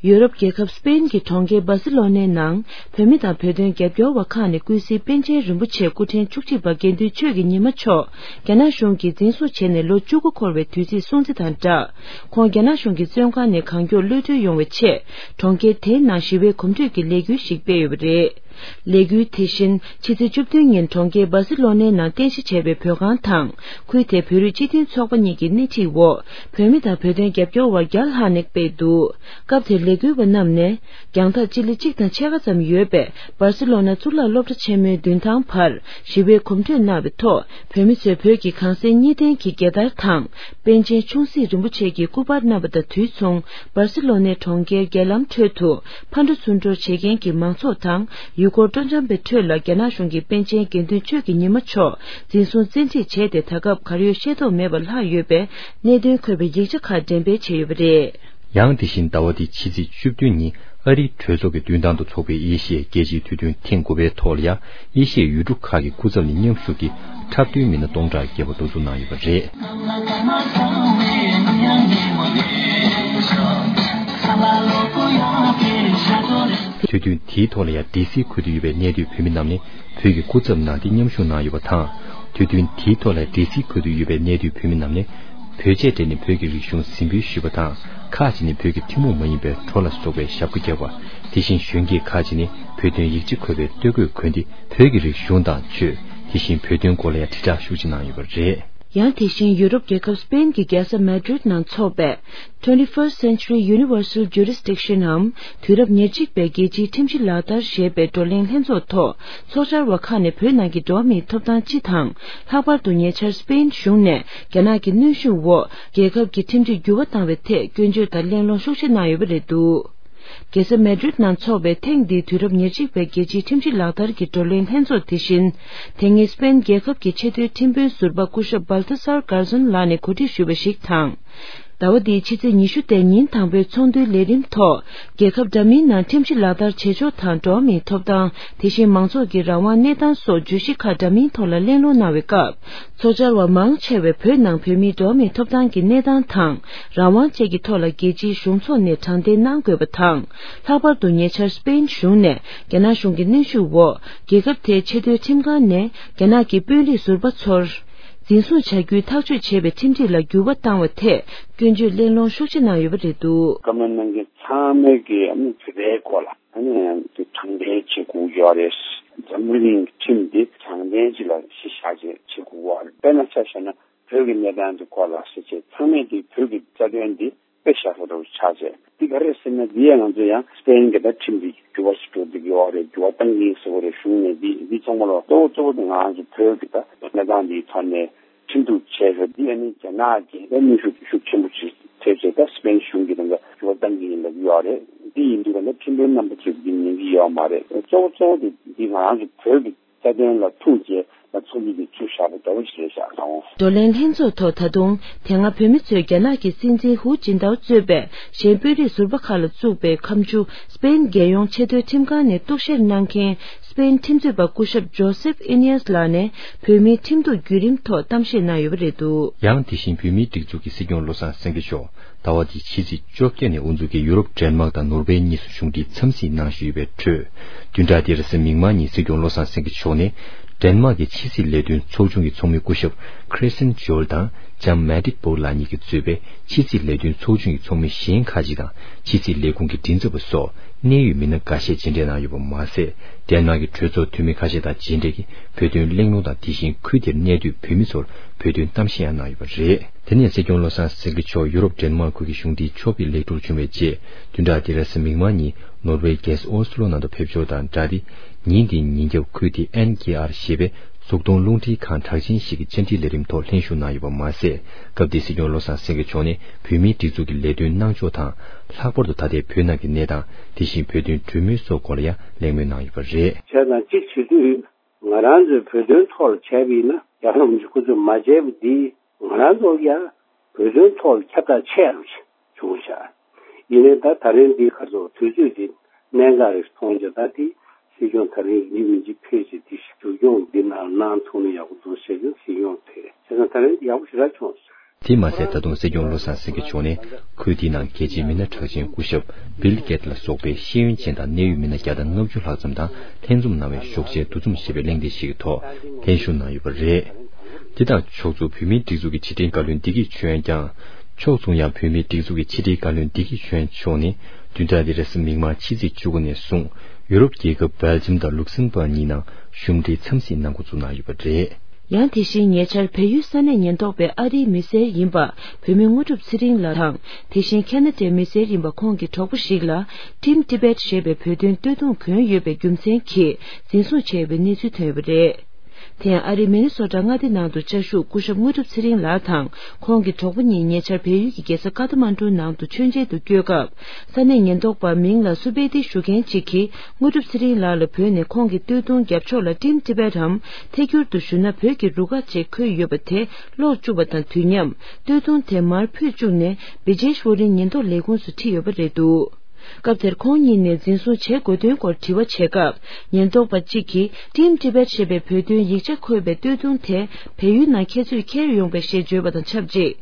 ཡུ་རོབ་རྒྱལ་ཁབ་སྤེན་གྱི་གྲོང་ཁྱེར་སྦར་སི་ལོ་ནའི་ནང་། བོད་མི་དང་བོད་དོན་རྒྱབ་སྐྱོར་བ་ཁག་ནས་སྐུ་ཚེའི་པཎ་ཆེན་རིན་པོ་ཆེ་སྐུ་ཕྲེང་བཅུ་གཅིག་པ་དགེ་འདུན་ཆོས་ཀྱི་ཉི་མ་མཆོག་རྒྱ་ནག་གཞུང་གིས་འཛིན་བཟུང་བྱས་ནས་ལོ་བཅུ་དགུ་འཁོར་བའི་དུས་ཚིགས་སྲུང་བརྩི་དང་སྦྲགས། ཁོང་རྒྱ་ནག་གཞུང་གི་བཙོན་ཁང་ནས་གང་མགྱོགས་གློད་གྲོལ་ཡོང་བའི་ཆེད། གྲོང་ཁྱེར་དེའི་ནང་ཞི་བའི་གོམ་བགྲོད་ཀྱི་ལས་འགུལ་ཞིག་སྤེལ་ཡོད་པ་རེད། ལས་འགུལ་དེ་བཞིན་ཕྱི་ཚེས་བཅུ་བདུན་ཉིན་གྲོང་ཁྱེར་སྦར་སི་ལོ་ནའི་ནང་རྟེན་གཞི་བྱས་པའི་བོད་ཁང་དང་། ཁུལ་དེའི་བོད་རིགས་སྤྱི་མཐུན་ཚོགས་པ་གཉིས་ཀྱི་སྣེ་ཁྲིད་འོག་བོད་མི་དང་བོད་དོན་རྒྱབ་སྐྱོར་བ་བརྒྱ་ལྷག་ནས་སྤེལ་འདུག། སྐབས་དེར་ལས་འགུལ་བ་རྣམས་ནས། རྒྱང་ཐག་སྤྱི་ལེ་གཅིག་དང་ཕྱེད་ཀ་ཙམ་ཡོད་པའི་སྦར་སི་ལོ་ན་གཙུག་ལག་སློབ་གྲྭ་ཆེན་མོའི་མདུན་ཐང་བར་ཞི་བའི་གོམ་བགྲོད་གནང་བའི་ཐོག་བོད་མི་ཚོས་བོད་ཀྱི་གངས་སེང་གཉིས་ལྡན་གྱི་རྒྱལ་དར་དང་། པཎ་ཆེན་ཆུང་སྲིད་རིན་པོ་ཆེ་གི་སྐུ་པར་བསྣམས་པ་དང་དུས་མཚུངས། སྦར་སི་ལོ་ནའི་གྲོང་ཁྱེར་རྒྱལ་ལམ་ཁྲོད་དུ་ཕར་འགྲོ་ཚུར་འགྲོ་བྱེད་མཁན་གྱི་མང་ཚོགས་དང་། ཡུལ་སྐོར་སྤྲོ་འཆམ་པའི་ཁྲོད་ལ་རྒྱ་ནག་གཞུང་གིས་པཎ་ཆེན་དགེ་འདུན་ཆོས་ཀྱི་ཉི་མ་མཆོག་འཛིན་བཟུང་བཙན་ཁྲིད་བྱས་ཏེ། ད་སྐབས་གར་ཡོད་ཤེས་རྟོགས་མེད་པར་ལྷག་ཡོད་པའི་གནད་དོན་འཁོད་པའི་ཡིག་ཆ་ཁག་འགྲེམས་སྤེལ་བྱས་ཡོད་པ་རེད། ཡང་དེ་བཞིན་ཟླ་བ་འདིའི་ཕྱི་ཚེས་བཅུ་བདུན་ཉིན་ཨ་རིའི་གྲོས་ཚོགས་ཀྱི་མདུན་ཐང་དུ་འཚོགས་པའི་ཨེ་ཤི་ཡའི་རྒྱལ་སྤྱིའི་དུས་སྟོན་ཐེངས་དགུ་པའི་ཐོག་ལ་ཡང་ཨེ་ཤི་ཡའི་ཡུལ་གྲུ་ཁག་གི་སྐུ་ཚབ་ནས་མཉམ་ཞུགས་ཀྱིས་འཁྲབ་སྟོན་མི་སྣ་སྟོང་ཕྲག་བརྒལ་བ་འགྲོ་འཛུགས་གནང་ཡོད་པ་རེད། དུས་སྟོན་དེའི་ཐོག་ལ་ཡང་ཌི་སི་ཁུལ་དུ་ཡོད་པའི་གནས་སྡོད་བོད་མི་རྣམས་ནས་བོད་ཀྱི་སྐུ་ཚབ་གནང་སྟེ་མཉམ་ཞུགས་གནང་ཡོད་པ་དང་། དུས་སྟོན་དེའི་ཐོག་ལ་ཌི་སི་ཁུལ་དུ་ཡོད་པའི་གནས་སྡོད་བོད་མི་རྣམས་ནས། བོད་ཆས་སྤྲས་ནས་བོད་ཀྱི་རིག་གཞུང་གཟིགས་འབུལ་ཞུས་པ་དང་། ཁག་ཅིག་ནས་བོད་ཀྱི་ཐུན་མོང་མ་ཡིན་པའི་བྲོ་ལ་སོགས་པའི་ཞབས་བཀོད་བརྒྱབ་པ། དེ་བཞིན་གཞོན་སྐྱེས་ཁག་ཅིག་ནས་བོད་དོན་ཡིག་ཆ་འཁོད་པའི་སྟོད་གོས་གོན་ཏེ་བོད་ཀྱི་རིག་གཞུང་དང་ཆོས། དེ་བཞིན་བོད་དོན་སྐོར་ལ་ཡང་དྲིལ་བསྒྲགས་ཤུགས་ཆེ་གནང་ཡོད་པ་རེད། ཡང་དེ་བཞིན་ཡུ་རོབ་རྒྱལ་ཁབ་སྤེན་གྱི་རྒྱལ་ས་མེ་ཌྲིད་ནང་འཚོགས་པའི་Twenty-first Century Universal Jurisdiction འམ་དུས་རབས་ཉེར་གཅིག་པའི་རྒྱལ་སྤྱིའི་ཁྲིམས་གཞི་ལག་བསྟར་ཞེས་པའི་བགྲོ་གླེང་ལྷན་ཚོགས་ཐོག་ཚོགས་བཅར་བ་ཁག་ནས་བོད་ནང་གི་འགྲོ་བ་མིའི་ཐོབ་ཐང་སྤྱི་དང་། ལྷག་པར་དུ་ཉེ་ཆར་སྤེན་གཞུང་ནས་རྒྱ་ནག་གི་གནོན་ཤུགས་འོག་རྒྱལ་ཁབ་ཀྱི་ཁྲིམས་སྒྲིག་འགྱུར་བ་བཏང་བའི་ཐད་སྐྱོན་བརྗོད་དང་གླེང་སློང་ཤུགས་ཆེ་གནང་ཡོད་པ་རེད་འདུག། རྒྱལ་ས་མེ་ཌྲིད་ནང་འཚོགས་པའི་ཐེངས་འདིའི་དུས་རབས་ཉེར་གཅིག་པའི་རྒྱལ་སྤྱིའི་ཁྲིམས་གཞི་ལག་བསྟར་གྱི་བགྲོ་གླེང་ལྷན་ཚོགས་དེ་བཞིན། དེ་སྔའི་སྤེན་རྒྱལ་ཁབ་ཀྱི་ཆེས་མཐོའི་ཁྲིམས་དཔོན་ཟུར་པ་སྐུ་ཞབས་Baltasar Garzón ལགས་ནས་གོ་སྒྲིག་ཞུས་པ་ཞིག་དང་། ཟླ་བ་འདིའི་ཕྱི་ཚེས་ཉི་ཤུ་སྟེ་ཉིན་དང་པོའི་ཚོགས་འདུའི་ལས་རིམ་ཐོག་རྒྱལ་ཁབ་འདྲ་མིན་ནང་ཁྲིམས་གཞི་ལག་བསྟར་བྱེད་ཕྱོགས་དང་། འགྲོ་བ་མིའི་ཐོབ་ཐང་། དེ་བཞིན་མང་ཚོགས་ཀྱི་རང་དབང་གནས་སྟངས་སོགས་བརྗོད་གཞི་ཁག་འདྲ་མིན་ཐོག་ལ་གླེང་སློང་གནང་བའི་སྐབས། ཚོགས་བཅར་བ་མང་ཆེ་བས་བོད་ནང་བོད་མིའི་འགྲོ་བ་མིའི་ཐོབ་ཐང་གི་གནས་སྟངས་དང་། རང་དབང་བཅས་ཀྱི་ཐོག་ལ་རྒྱལ་སྤྱིའི་གཞུང་ཚོགས་ནས་དྲང་བདེན་གནང་དགོས་པ་དང་། ལྷག་པར་དུ་ཉེ་ཆར་སྤེན་གཞུང་ནས་རྒྱ་ནག་གཞུང་གི་གནོན་ཤུགས་འོག་རྒྱལ་ཁབ་དེའི་ཆེས་མཐོའི་ཁྲིམས་ཁང་ནས་རྒྱ་ནག་གི་དཔོན་རིགས་ཟུར་པ་ཚོར། འཛིན་བཟུང་བྱ་རྒྱུའི་ཐག་གཅོད་བྱས་པའི་ཁྲིམས་སྒྲིག་ལ་འགྱུར་བ་བཏང་བ་ཐད་སྐྱོན་བརྗོད་གླེང་སློང་ཤུགས་ཆེ་གནང་ཡོད་པ་རེད་འདུག། བཀའ་མོལ་གནང་མཁན་ཚང་མས་ཀྱི་ཨ་ནི་བོད་པའི་སྐོར་ལ་ཨ་ནི་དེ་དྲང་བདེན་བྱེད་དགོས་ཀྱི་ཡོད་རེད། འཛམ་བུ་གླིང་གི་ཁྲིམས་འདི་དྲང་བདེན་ཅིག་ལ་གཞི་བཞག་བྱས་བྱེད་དགོས་ཀྱི་ཡོད་རེད། དཔེར་ན་ཆ་བཞག་ན་བོད་ཀྱི་གནས་སྟངས་འདི་སྐོར་ལ་ཟེར་བྱས་ཚང་མས་དེ་བོད་ཀྱི་རྩ་དོན་འདི་དཔེ་བཞག་ས་འདྲ་བོ་ཆགས་བྱས། འདི་ག་རེ་ཟེར་ན་འདི་ཡང་ང་ཚོ་ཡང་སྤེན་གྱི་ད་ཁྲིམས་འདི་འགྱུར་བ་ཞིག་འགྲོ་བསྡད་ཀྱི་ཡོད་རེད། འགྱུར་བ་གཏང་གི་ཡིན་ཟེར་བ་རེད། གཞུང་ནས་འདི་འདི་ཚང་མ་ལ་གཙོ་བོ་གཙོ་བོ་དེ་ང་ཚོ་བོད་ཀྱི་ད་གནས་སྟངས་འདི་ རྒྱ་ནག་གིས་ད་གནོན་ཤུགས་ཤུགས་ཆེན་པོ་ཅིག་ཐེབས་བྱས། ད་སི་པེན་གཞུང་གིས་ད་འགའ་ཤུགས་བཏང་གི་ཡིན་ལབ་ཀྱི་ཡོད་རེད། འདི་ཡིན་དུས་ད་ནི་ཁྲིམས་དཔོན་རྣམ་པ་ཚོས་འདི་ཉན་གྱི་ཡོད་མ་རེད། གཙོ་བོ་གཙོ་བོ་དེ་འདི་ང་རང་ཚོ་བོད་ཀྱི་རྩ་དོན་ལ་ཐུག་བྱས་ད་ཚོགས་འདུ་འདི་ཚུགས་བཞག་པ་འདྲ་བོ་ཞིག་རེད་ཤག་ཨང་། བགྲོ་གླེང་ལྷན་ཚོགས་ཐོག་ད་དུང་དེ་སྔ་བོད་མི་ཚོས་རྒྱ་ནག་གི་སྲིད་འཛིན་ཧུའུ་ཅིན་ཐའོ་གཙོས་པའི་གཞན་དཔོན་རིགས་ཟུར་པ་ཁག་ལ་བཙུགས་པའི་ཁ་མཆུ། སི་པེན་རྒྱལ་ཡོངས་ཆེས་མཐོའི་ཁྲིམས་ཁང་ནས་གཏུག་བཤེར་གནང་མཁན་སི་པེན་ཁྲིམས་རྩོད་པ་སྐུ་ཞབས་ཇོ་སེབ་ཨི་ནི་ཡས་ལགས་ནས་བོད་མིའི་ཁྲིམས་གཏུག་བརྒྱུད་རིམ་ཐོག་གཏམ་བཤད་གནང་ཡོད་པ་རེད་འདུག། ཡང་དེ་བཞིན་བོད་མིའི་སྒྲིག་འཛུགས་ཀྱི་སྲིད་སྐྱོང་བློ་བཟང་སེང་གེ་མཆོག་ཟླ་བ་འདིའི་ཕྱི་ཚེས་བཅོ་བརྒྱད་ནས་དབུ་འཛུགས་ཀྱིས་ཡུ་རོབ་ཌེན་མཱག་དང་ནོར་ཝེ་གཉིས་སུ་གཞུང་འབྲེལ་འཚམས་གཟིགས་གནང་བཞིན་ཡོད་པའི་ཁྲོད། བདུན་ཕྲག་འདིར་གཟའ་མིག་དམར་ཉིན་སྲིད་སྐྱོང་བློ་བཟང་སེང་གེ་མཆོག་ནས་ཌེན་མཱག་གི་ཕྱི་སྲིད་ལས་དོན་ཚོགས་ཆུང་གི་ཚོགས་མི་སྐུ་ཞབས་Christian Juhl དང་ལྕམ་Mette Bock ལགས་གཉིས་ཀྱིས་གཙོས་པའི་ཕྱི་སྲིད་ལས་དོན་ཚོགས་ཆུང་གི་ཚོགས་མི་གཞན་ཁག་ཅིག་དང་ཕྱི་སྲིད་ལས་ཁུངས་ཀྱི་མགྲིན་ཚབ་པ་སོགས་གནད་ཡོད་མི་སྣ་འགའ་ཤས་མཇལ་འཕྲད་གནང་ཡོད་པ་མ་ཟད། ཌེན་མཱག་གི་གྲོས་ཚོགས་འཐུས་མི་ཁ་ཤས་དང་མཇལ་འཕྲད་ཀྱིས་བོད་དོན་གླེང་སློང་དང་དེ་བཞིན་ཁུལ་དེར་གནས་སྡོད་བོད་མི་ཚོར་བོད་དོན་གཏམ་བཤད་ཡང་གནང་ཡོད་པ་རེད། དེ་ནས་སྲིད་སྐྱོང་བློ་བཟང་སེང་གེ་མཆོག་ཡུ་རོབ་ཌེན་མཱག་ཁུལ་གྱི་གཞུང་འབྲེལ་ཕྱོགས་ཕེབས་ལེགས་གྲུབ་བྱུང་བའི་རྗེས། བདུན་ཕྲག་འདིར་གཟའ་མིག་དམར་ཉིན་ནོར་ཝེ་རྒྱལ་ས་ཨོ་སི་ལོ་ནང་དུ་ཕེབས་འབྱོར་དང་སྦྲགས་ཏེ། ཉིན་འདིའི་ཉིན་རྒྱབ་ཁུལ་དེའི་ཨེན་ཀེ་ཨར་ཞེས་པའི་གཟུགས་མཐོང་རླུང་འཕྲིན་ཁང་གྲགས་ཅན་ཞིག་གི་བཅར་འདྲི་ལས་རིམ་ཐོག་ལྷན་ཞུགས་གནང་ཡོད་པ་མ་ཟད། སྐབས་དེའི་སྲིད་སྐྱོང་བློ་བཟང་སེང་གེ་མཆོག་ནས་བོད་མིའི་སྒྲིག་འཛུགས་ཀྱི་ལས་དོན་གནང་ཕྱོགས་དང་། ལྷག་པར་དུ་ད་ལྟའི་བོད་ནང་གི་གནས་སྟངས། དེ་བཞིན་བོད་དོན་གྲོས་མོལ་སོགས་སྐོར་ལ་ཡང་གླེང་མོལ་གནང་ཡོད་པ་རེད། བྱས་ཙང་གཅིག་བྱེད་དུས། ང་རང་ཚོའི་བོད་དོན་ཐོག་ལ་བྱས་པ་ཡིན་ན། རྒྱ་ནག་གཞུང་ཁོ་ཚོས་མ་བྱས་པ་འདི་ང་རང་ཚོ་ཡང་བོད་དོན་ཐོག་ལ་ཁྱབ་བསྒྲགས་ཆེ་རུ་བྱུང་ཤག། ཡིན་ནའི་ད་ད་རིང་འདི་ག་ཚོད་དུས་ཚོད་འདི་གནད་འགག་རེད་མཐོང་རྒྱུ། ད་དེ་སྲིད་སྐྱོང་ད་རིང་ཡིན་མིན་གྱི་ཕེབས་ཀྱི་དེ་ཞིག་བསྒྱུར་སྐྱོང་འདི་ནང་གནང་ཐུབ་ན་ཡག་པོ་འདུག་ཟེར་རྒྱུ་སྲིད་སྐྱོང་དེ་བྱས་ཙང་ད་རིང་འདི་ཡག་པོ་ཞེ་དྲག་བྱུང་སོང་། དེ་མ་ཟད། ད་དུང་སྲིད་སྐྱོང་བློ་བཟང་སེང་གེ་མཆོག་ནས་ཁུལ་དེའི་ནང་རྒྱལ་སྤྱིའི་མི་སྣ་གྲགས་ཅན་སྐུ་ཞབས་བིལ་གེད་ལ་སོགས་པའི་ཤེས་ཡོན་ཅན་དང་གནད་ཡོད་མི་སྣ་བརྒྱ་དང་ལྔ་བཅུ་ལྷག་ཙམ་དང་ལྷན་འཛོམས་གནང་བའི་ཞོགས་ཇའི་འདུ་འཛོམས་ཞེས་པའི་གླེང་སྟེགས་ཤིག་གི་ཐོག་ལྷན་ཞུགས་གནང་ཡོད་པ་རེད། དེ་དང་ཕྱོགས་མཚུངས། བོད་མིའི་སྒྲིག་འཛུགས་ཀྱི་ཕྱི་དྲིལ་བཀའ་བློན་བདེ་སྐྱིད་ཆོས་དབྱངས་ཀྱང་། ཕྱོགས་མཚུངས་ཡང་། བོད་མིའི་སྒྲིག་འཛུགས་ཀྱི་ཕྱི་དྲིལ་བཀའ་བློན་བདེ་སྐྱིད་ཆོས་དབྱངས་མཆོག་ནས་བདུན་ཕྲག་འདིའི་རེས་གཟའ་མིག་དམར་ཕྱི་ཚེས་བཅུ་དགུ་ནས་བཟུང་། ཡུ་རོབ་རྒྱལ་ཁབ་སྦེལ་ཇམ་དང་ལུག་སེམ་པར་གཉིས་ནང་གཞུང་འབྲེལ་འཚམས་གཟིགས་གནང་འགོ་བཙུགས་གནང་ཡོད་པ་རེད། ཡང་དེ་བཞིན་ཉེ་ཆར་བལ་ཡུལ་ས་གནས་ཉེན་རྟོག་པས་ཨ་རིའི་མི་སེར་ཡིན་པ་བོད་མི་དངོས་གྲུབ་ཚེ་རིང་ལགས་དང་། དེ་བཞིན་ཁ་ན་ཌའི་མི་སེར་ཡིན་པ་ཁོང་གི་གྲོགས་པོ་ཞིག་ལ་Team Tibet ཞེས་པའི་བོད་དོན་སྟོད་ཐུང་གྱོན་ཡོད་པའི་རྒྱུ་མཚན་གྱིས་འཛིན་བཟུང་བྱས་ཡོད་པའི་གནས་ཚུལ་ཐོན་ཡོད་པ་རེད། དེ་ཡང་ཨ་རིའི་མི་ནི་སོ་ཊ་མངའ་སྡེ་ནང་དུ་བཅའ་བཞུགས་སྐུ་ཞབས་དངོས་གྲུབ་ཚེ་རིང་ལགས་དང་ཁོང་གི་གྲོགས་པོ་གཉིས་ཉེ་ཆར་བལ་ཡུལ་གྱི་རྒྱལ་ས་ཀ་ཐ་མན་གྲུ་ནང་དུ་མཆོད་མཇལ་དུ་བསྐྱོད་སྐབས། ས་གནས་ཉེན་རྟོག་པ་མིང་ལ་སུ་པེ་ཏི་ཞུ་མཁན་གཅིག་གིས་དངོས་གྲུབ་ཚེ་རིང་ལགས་ལ་བོས་ནས་ཁོང་གི་སྟོད་ཐུང་རྒྱབ་ཕྱོགས་ལ་Team Tibet འམ་ཐད་སྒྱུར་དུ་ཞུ་ན་བོད་ཀྱི་རུ་ཁག་ཅིག་འཁོད་ཡོད་པ་དེ་ཀློག་བཅུག་པ་དང་དུས་མཉམ་སྟོད་ཐུང་དེ་མར་ཕུད་བཅུག་ནས་བི་ཇེཤ་ཝ་རིན་ཉེན་རྟོག་ལས་ཁུངས་སུ་ཁྲིད་ཡོད་པ་རེད་འདུག། སྐབས་དེར་ཁོང་གཉིས་ནས་འཛིན་བཟུང་བྱེད་དགོས་དོན་སྐོར་དྲི་བ་བྱེད་སྐབས། ཉེན་རྟོག་པ་གཅིག་གིས་Team Tibet ཞེས་པའི་བོད་དོན་ཡིག་ཆ་འཁོད་པའི་སྟོད་ཐུང་དེ་བལ་ཡུལ་ནང་ཁྱེད་ཚོས་འཁྱེར་ཡོང་པས་ཞེས་བརྗོད་པ་དང་ཆབས་ཅིག།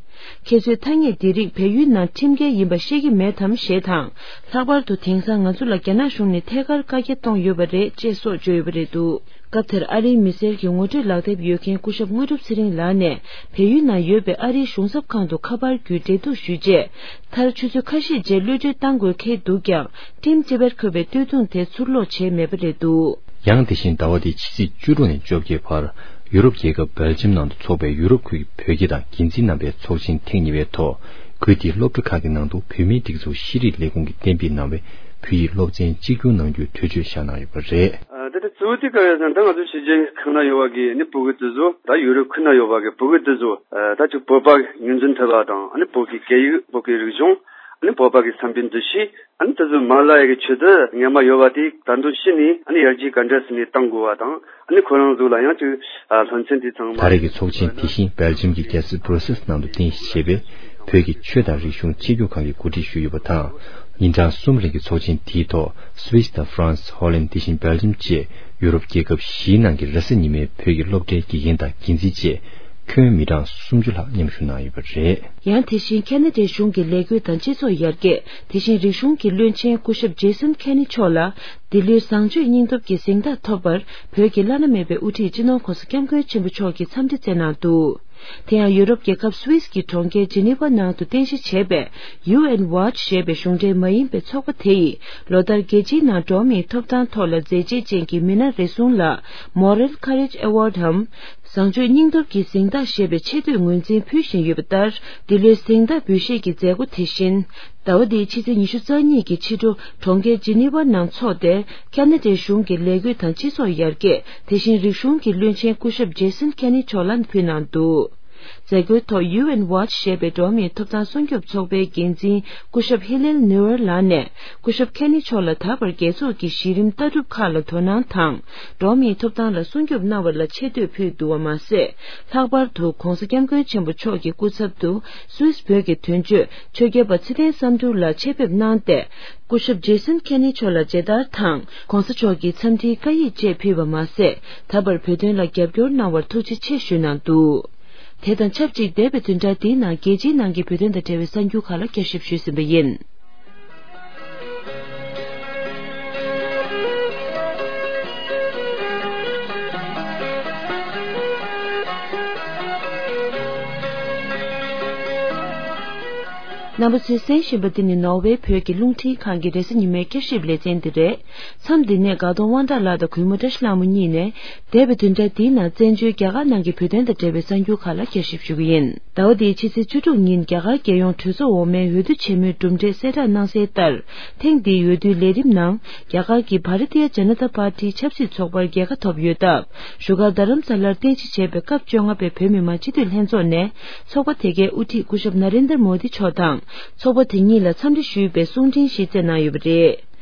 ཁྱེད་ཚོས་ཐ་སྙད་འདི་རིགས་བལ་ཡུལ་ནང་ཁྲིམས་འགལ་ཡིན་པ་ཤེས་ཀྱི་མེད་དམ་ཞེས་དང་། ལྷག་པར་དུ་དེང་སང་ང་ཚོ་ལ་རྒྱ་ནག་གཞུང་ནས་ཐད་ཀར་བཀའ་རྒྱ་གཏོང་ཡོད་པ་རེད་ཅེས་སོགས་བརྗོད་ཡོད་པ་རེད་འདུག། སྐབས་དེར་ཨ་རིའི་མི་སེར་གྱི་ངོ་སྤྲོད་ལག་དེབ་ཡོད་མཁན་སྐུ་ཞབས་དངོས་གྲུབ་ཚེ་རིང་ལགས་ནས་བལ་ཡུལ་ནང་ཡོད་པའི་ཨ་རིའི་གཞུང་ཚབ་ཁང་དུ་ཁ་པར་བརྒྱུད་འབྲེལ་གཏུག་ཞུས་རྗེས། མཐར་ཆུ་ཚོད་ཁ་ཤས་རྗེས་གློད་གྲོལ་གཏང་དགོས་འཁེལ་འདུག་ཀྱང་Team Tibet འཁོད་པའི་སྟོད་ཐུང་དེ་ཚུར་སློག་བྱས་མེད་པ་རེད་འདུག། ཡང་དེ་བཞིན་ཟླ་བ་འདིའི་ཕྱི་ཚེས་བཅུ་དྲུག་ནས་བཅོ་བརྒྱད་བར་ཡུ་རོབ་རྒྱལ་ཁབ་སྦེལ་ཇམ་ནང་དུ་འཚོགས་པའི་ཡུ་རོབ་ཁུལ་གྱི་བོད་དགེ་དང་འགན་འཛིན་རྣམ་པའི་ཚོགས་ཆེན་ཐེངས་གཉིས་པའི་ཐོག་ཁུལ་དེའི་སློབ་གྲྭ་ཁག་གི་ནང་དུ་བོད་མིའི་སྒྲིག་འཛུགས་ཤེས་རིག་ལས་ཁུངས་ཀྱིས་གཏན་འབེབས་གནང་བའི་བོད་ཡིག་སློབ་ཚན་གཅིག་གྱུར་གནང་རྒྱུའི་གྲོས་ཆོད་བཞག་གནང་ཡོད་པ་རེད། ཨ། ད་ལྟ་གཙོ་བོ་དེ་ག་རེ་ཟེར་ན། ད་ང་ཚོ་ཕྱི་རྒྱལ་ཁག་ན་ཡོད་པ་གི་ནི་བོད་གི་དེ་ཚོ། ད་ཡུ་རོབ་ཁུལ་ན་ཡོད་པ་གི་བོད་གི་དེ་ཚོ། ཨ། ད་ཅིག་བོད་པ་ངོས་འཛིན་ཐུབ་པ་དང་། ཨ་ནི་བོད་ཀྱི་སྐད་ཡིག་བོད་ཀྱི་རིག་གཞུང་། ཨ་ནི་བོད་པ་གི་བསམ་པའི་འདུ་ཤེས། ཨ་ནི་དེ་ཚོ་མ་ལ་ཡ་གི་ཆེད་དུ་སྔོན་མ་ཡོད་པ་དེ་ད་དུང་ཕྱི་ནས་ཨ་ནི་ཡར་རྒྱས་ག་འདྲ་ཟེར་ནས་གཏང་དགོས་པ་དང་། ཨ་ནི་ཁོ་རང་ཚོ་ལ་ཡང་ཅིག་ཨ་སློབ་ཚན་དེ་ཚང་མ། ད་རེས་ཀྱི་ཚོགས་ཆེན་དེ་བཞིན་སྦེལ་ཇམ་གྱི་རྒྱལ་ས་བྷྲུ་སེལ་ནང་དུ་རྟེན་གཞི་བྱས་པའི་བོད་ཀྱི་ཆོས་དང་རིག་གཞུང་ཆེད་སྒྱུར་ཁང་གིས་གོ་སྒྲིག་ཞུས་ཡོད་པ་དང་། ཉིན་གྲངས་གསུམ་རིང་གི་ཚོགས་ཆེན་དེའི་ཐོག་སུད་སི་དང་ཧྥ་རན་སི། ཧོ་ལན། དེ་བཞིན་སྦེལ་ཇམ་བཅས་ཡུ་རོབ་རྒྱལ་ཁབ་བཞིའི་ནང་གི་རེས་གཟའ་ཉི་མའི་བོད་ཀྱི་སློབ་གྲྭའི་དགེ་རྒན་དང་འགན་འཛིན་བཅས་ཁྱོན་མི་གྲངས་སུམ་ཅུ་ལྷག་མཉམ་ཞུགས་གནང་ཡོད་པ་རེད། ཡང་དེ་བཞིན་ཁ་ན་ཌའི་གཞུང་གི་ལས་འགུལ་དང་སྤྱི་ཚོགས་ཡར་རྒྱས། དེ་བཞིན་རིག་གཞུང་གི་བློན་ཆེན་སྐུ་ཞབས་ཇེ་སོན་ཁེ་ནི་མཆོག་ལ་འདི་ལོའི་བཟང་སྤྱོད་སྙིང་སྟོབས་ཀྱི་གཟེངས་རྟགས་ཐོབ་པར་བོད་ཀྱི་བླ་ན་མེད་པའི་དབུ་ཁྲིད་སྤྱི་ནོར་༸གོང་ས་༸སྐྱབས་མགོན་ཆེན་པོ་མཆོག་གིས་འཚམས་འདྲི་བསྩལ་གནང་འདུག། དེ་ཡང་ཡུ་རོབ་རྒྱལ་ཁབ་སུད་སི་གི་གྲོང་ཁྱེར་ཇི་ནི་ཝ་ནང་དུ་རྟེན་གཞི་བྱས་པའི་ཡུ་ཨེན་ཝཱཆ་ཞེས་པའི་གཞུང་འབྲེལ་མ་ཡིན་པའི་ཚོགས་པ་དེ་ཡིས་ལོ་ལྟར་རྒྱལ་སྤྱིའི་ནང་འགྲོ་བ་མིའི་ཐོབ་ཐང་ཐོག་ལ་མཛད་རྗེས་ཅན་གྱི་མི་སྣ་རེ་ཟུང་ལ་Moral Courage Award འམ། བཟང་སྤྱོད་སྙིང་སྟོབས་ཀྱི་གཟེངས་རྟགས་ཞེས་པའི་ཆེ་བསྟོད་ངོས་འཛིན་ཕུལ་བཞིན་ཡོད་པ་ལྟར། འདི་ལོའི་གཟེངས་རྟགས་འབུལ་བཞེས་ཀྱི་མཛད་སྒོ་དེ་བཞིན། ཟླ་བ་འདིའི་ཕྱི་ཚེས་ཉི་ཤུ་རྩ་གཉིས་ཀྱི་ཕྱི་དྲོ་གྲོང་ཁྱེར་ཇི་ནི་ཝ་ནང་འཚོགས་ཏེ། ཁ་ན་ཌའི་གཞུང་གི་ལས་འགུལ་དང་སྤྱི་ཚོགས་ཡར་རྒྱས། དེ་བཞིན་རིག་གཞུང་གི་བློན་ཆེན་སྐུ་ཞབས་ཇེ་སོན་ཁེ་ནི་མཆོག་ལ་ཕུལ་གནང་འདུག། མཛད་སྒོའི་ཐོག་ཡུ་ཨེན་ཝ་ཆ་ཞེས་པའི་འགྲོ་བ་མིའི་ཐོབ་ཐང་སྲུང་སྐྱོབ་ཚོགས་པའི་འགན་འཛིན་སྐུ་ཞབས་ཧི་ལེལ་ནུའར་ལགས་ནས། སྐུ་ཞབས་ཁེ་ནི་མཆོག་ལ་ད་བར་རྒྱལ་ཚོགས་ཀྱི་གཞི་རིམ་ལྟ་གྲུབ་ཁག་ལ་དོ་སྣང་དང་། འགྲོ་བ་མིའི་ཐོབ་ཐང་ལ་སྲུང་སྐྱོབ་གནང་བ་ལ་ཆེ་བསྟོད་ཕུལ་འདུག་པ་མ་ཟད། ལྷག་པར་དུ་༧གོང་ས་༧སྐྱབས་མགོན་ཆེན་པོ་མཆོག་གི་སྐུ་ཚབ་ཏུ་སུད་སི་བོད་ཀྱི་དོན་གཅོད་ཆོས་རྒྱལ་པ་ཚེ་བརྟན་བསམ་འགྲུབ་ལ་ཆེད་ཕེབས་གནང་སྟེ། སྐུ་ཞབས་ཇེ་སན་ཁེ་ནི་མཆོག་ལ་མཇལ་དར་དང་༧གོང་ས་མཆོག་གི་འཚམས་འདྲིའི་བཀའ་ཡིག་བཅས་ཕུལ་བ་མ་ཟད། ད་བར་བོད་དོན་ལ་རྒྱབ་སྐྱོར་གནང་བར་ཐུགས་རྗེ་ཆེ་ཞུས་གནང་འདུག་དེ་དང་ཆབས་ཅིག་འདས་པའི་བདུན་ཕྲག་འདིའི་ནང་རྒྱལ་སྤྱིའི་ནང་གི་བོད་དོན་དང་འབྲེལ་བའི་གསར་འགྱུར་ཁག་ལ་བསྐྱར་ཞིབ་ཞུས་ཟིན་པ་ཡིན། རྣམ་པ་ཚོས་གསན་བཞིན་པ་འདི་ནི་ནོར་ཝེ་བོད་ཀྱི་རླུང་འཕྲིན་ཁང་གི་རེས་གཟའ་ཉི་མའི་བསྐྱར་ཞིབ་ལེ་ཚན་འདི་རེད། མཚམས་འདི་ནས་དགའ་གདོང་དབང་གྲགས་ལགས་དང་གུས་མོ་བཀྲ་ཤིས་ལྷ་མོ་གཉིས་ནས། འདས་པའི་བདུན་ཕྲག་འདིའི་ནང་བཙན་བྱོལ་རྒྱ་གར་ནང་གི་བོད་དོན་དང་འབྲེལ་བའི་གསར་འགྱུར་ཁག་ལ་བསྐྱར་ཞིབ་ཞུ་གི་ཡིན། ཟླ་བ་འདིའི་ཕྱི་ཚེས་བཅུ་དྲུག་ཉིན་རྒྱ་གར་རྒྱལ་ཡོངས་གྲོས་ཚོགས་འོག་མའི་འོས་བསྡུ་ཆེན་མོའི་གྲུབ་འབྲས་གསལ་བསྒྲགས་གནང་གསལ་ལྟར། ཐེངས་འདིའི་འོས་བསྡུའི་ལས་རིམ་ནང་རྒྱ་གར་གྱི་བྷ་ར་ཏི་ཡ་ཇ་ན་ཏ་པར་ཏིའི་ཆབ་སྲིད་ཚོགས་པར་རྒྱལ་ཁ་ཐོབ་ཡོད་སྟབས། བཞུགས་སྒར་རྡ་རམ་ས་ལར་རྟེན་གཞི་བྱས་པའི་སྐབས་བཅོ་ལྔ་པའི་བོད་མི་མང་སྤྱི་འཐུས་ལྷན་ཚོགས་ནས་ཚོགས་པ་དེ་གའི་དབུ་ཁྲིད་སྐུ་ཞབས་ན་རེན་དར་མོ་དི་མཆོག་དང་། ཚོགས་པ་དེ་གཉིས་ལ་འཚམས་འདྲི་ཞུས་པའི་གསུང་འཕྲིན་ཞིག་བསྩལ་གནང་ཡོད་པ་རེད།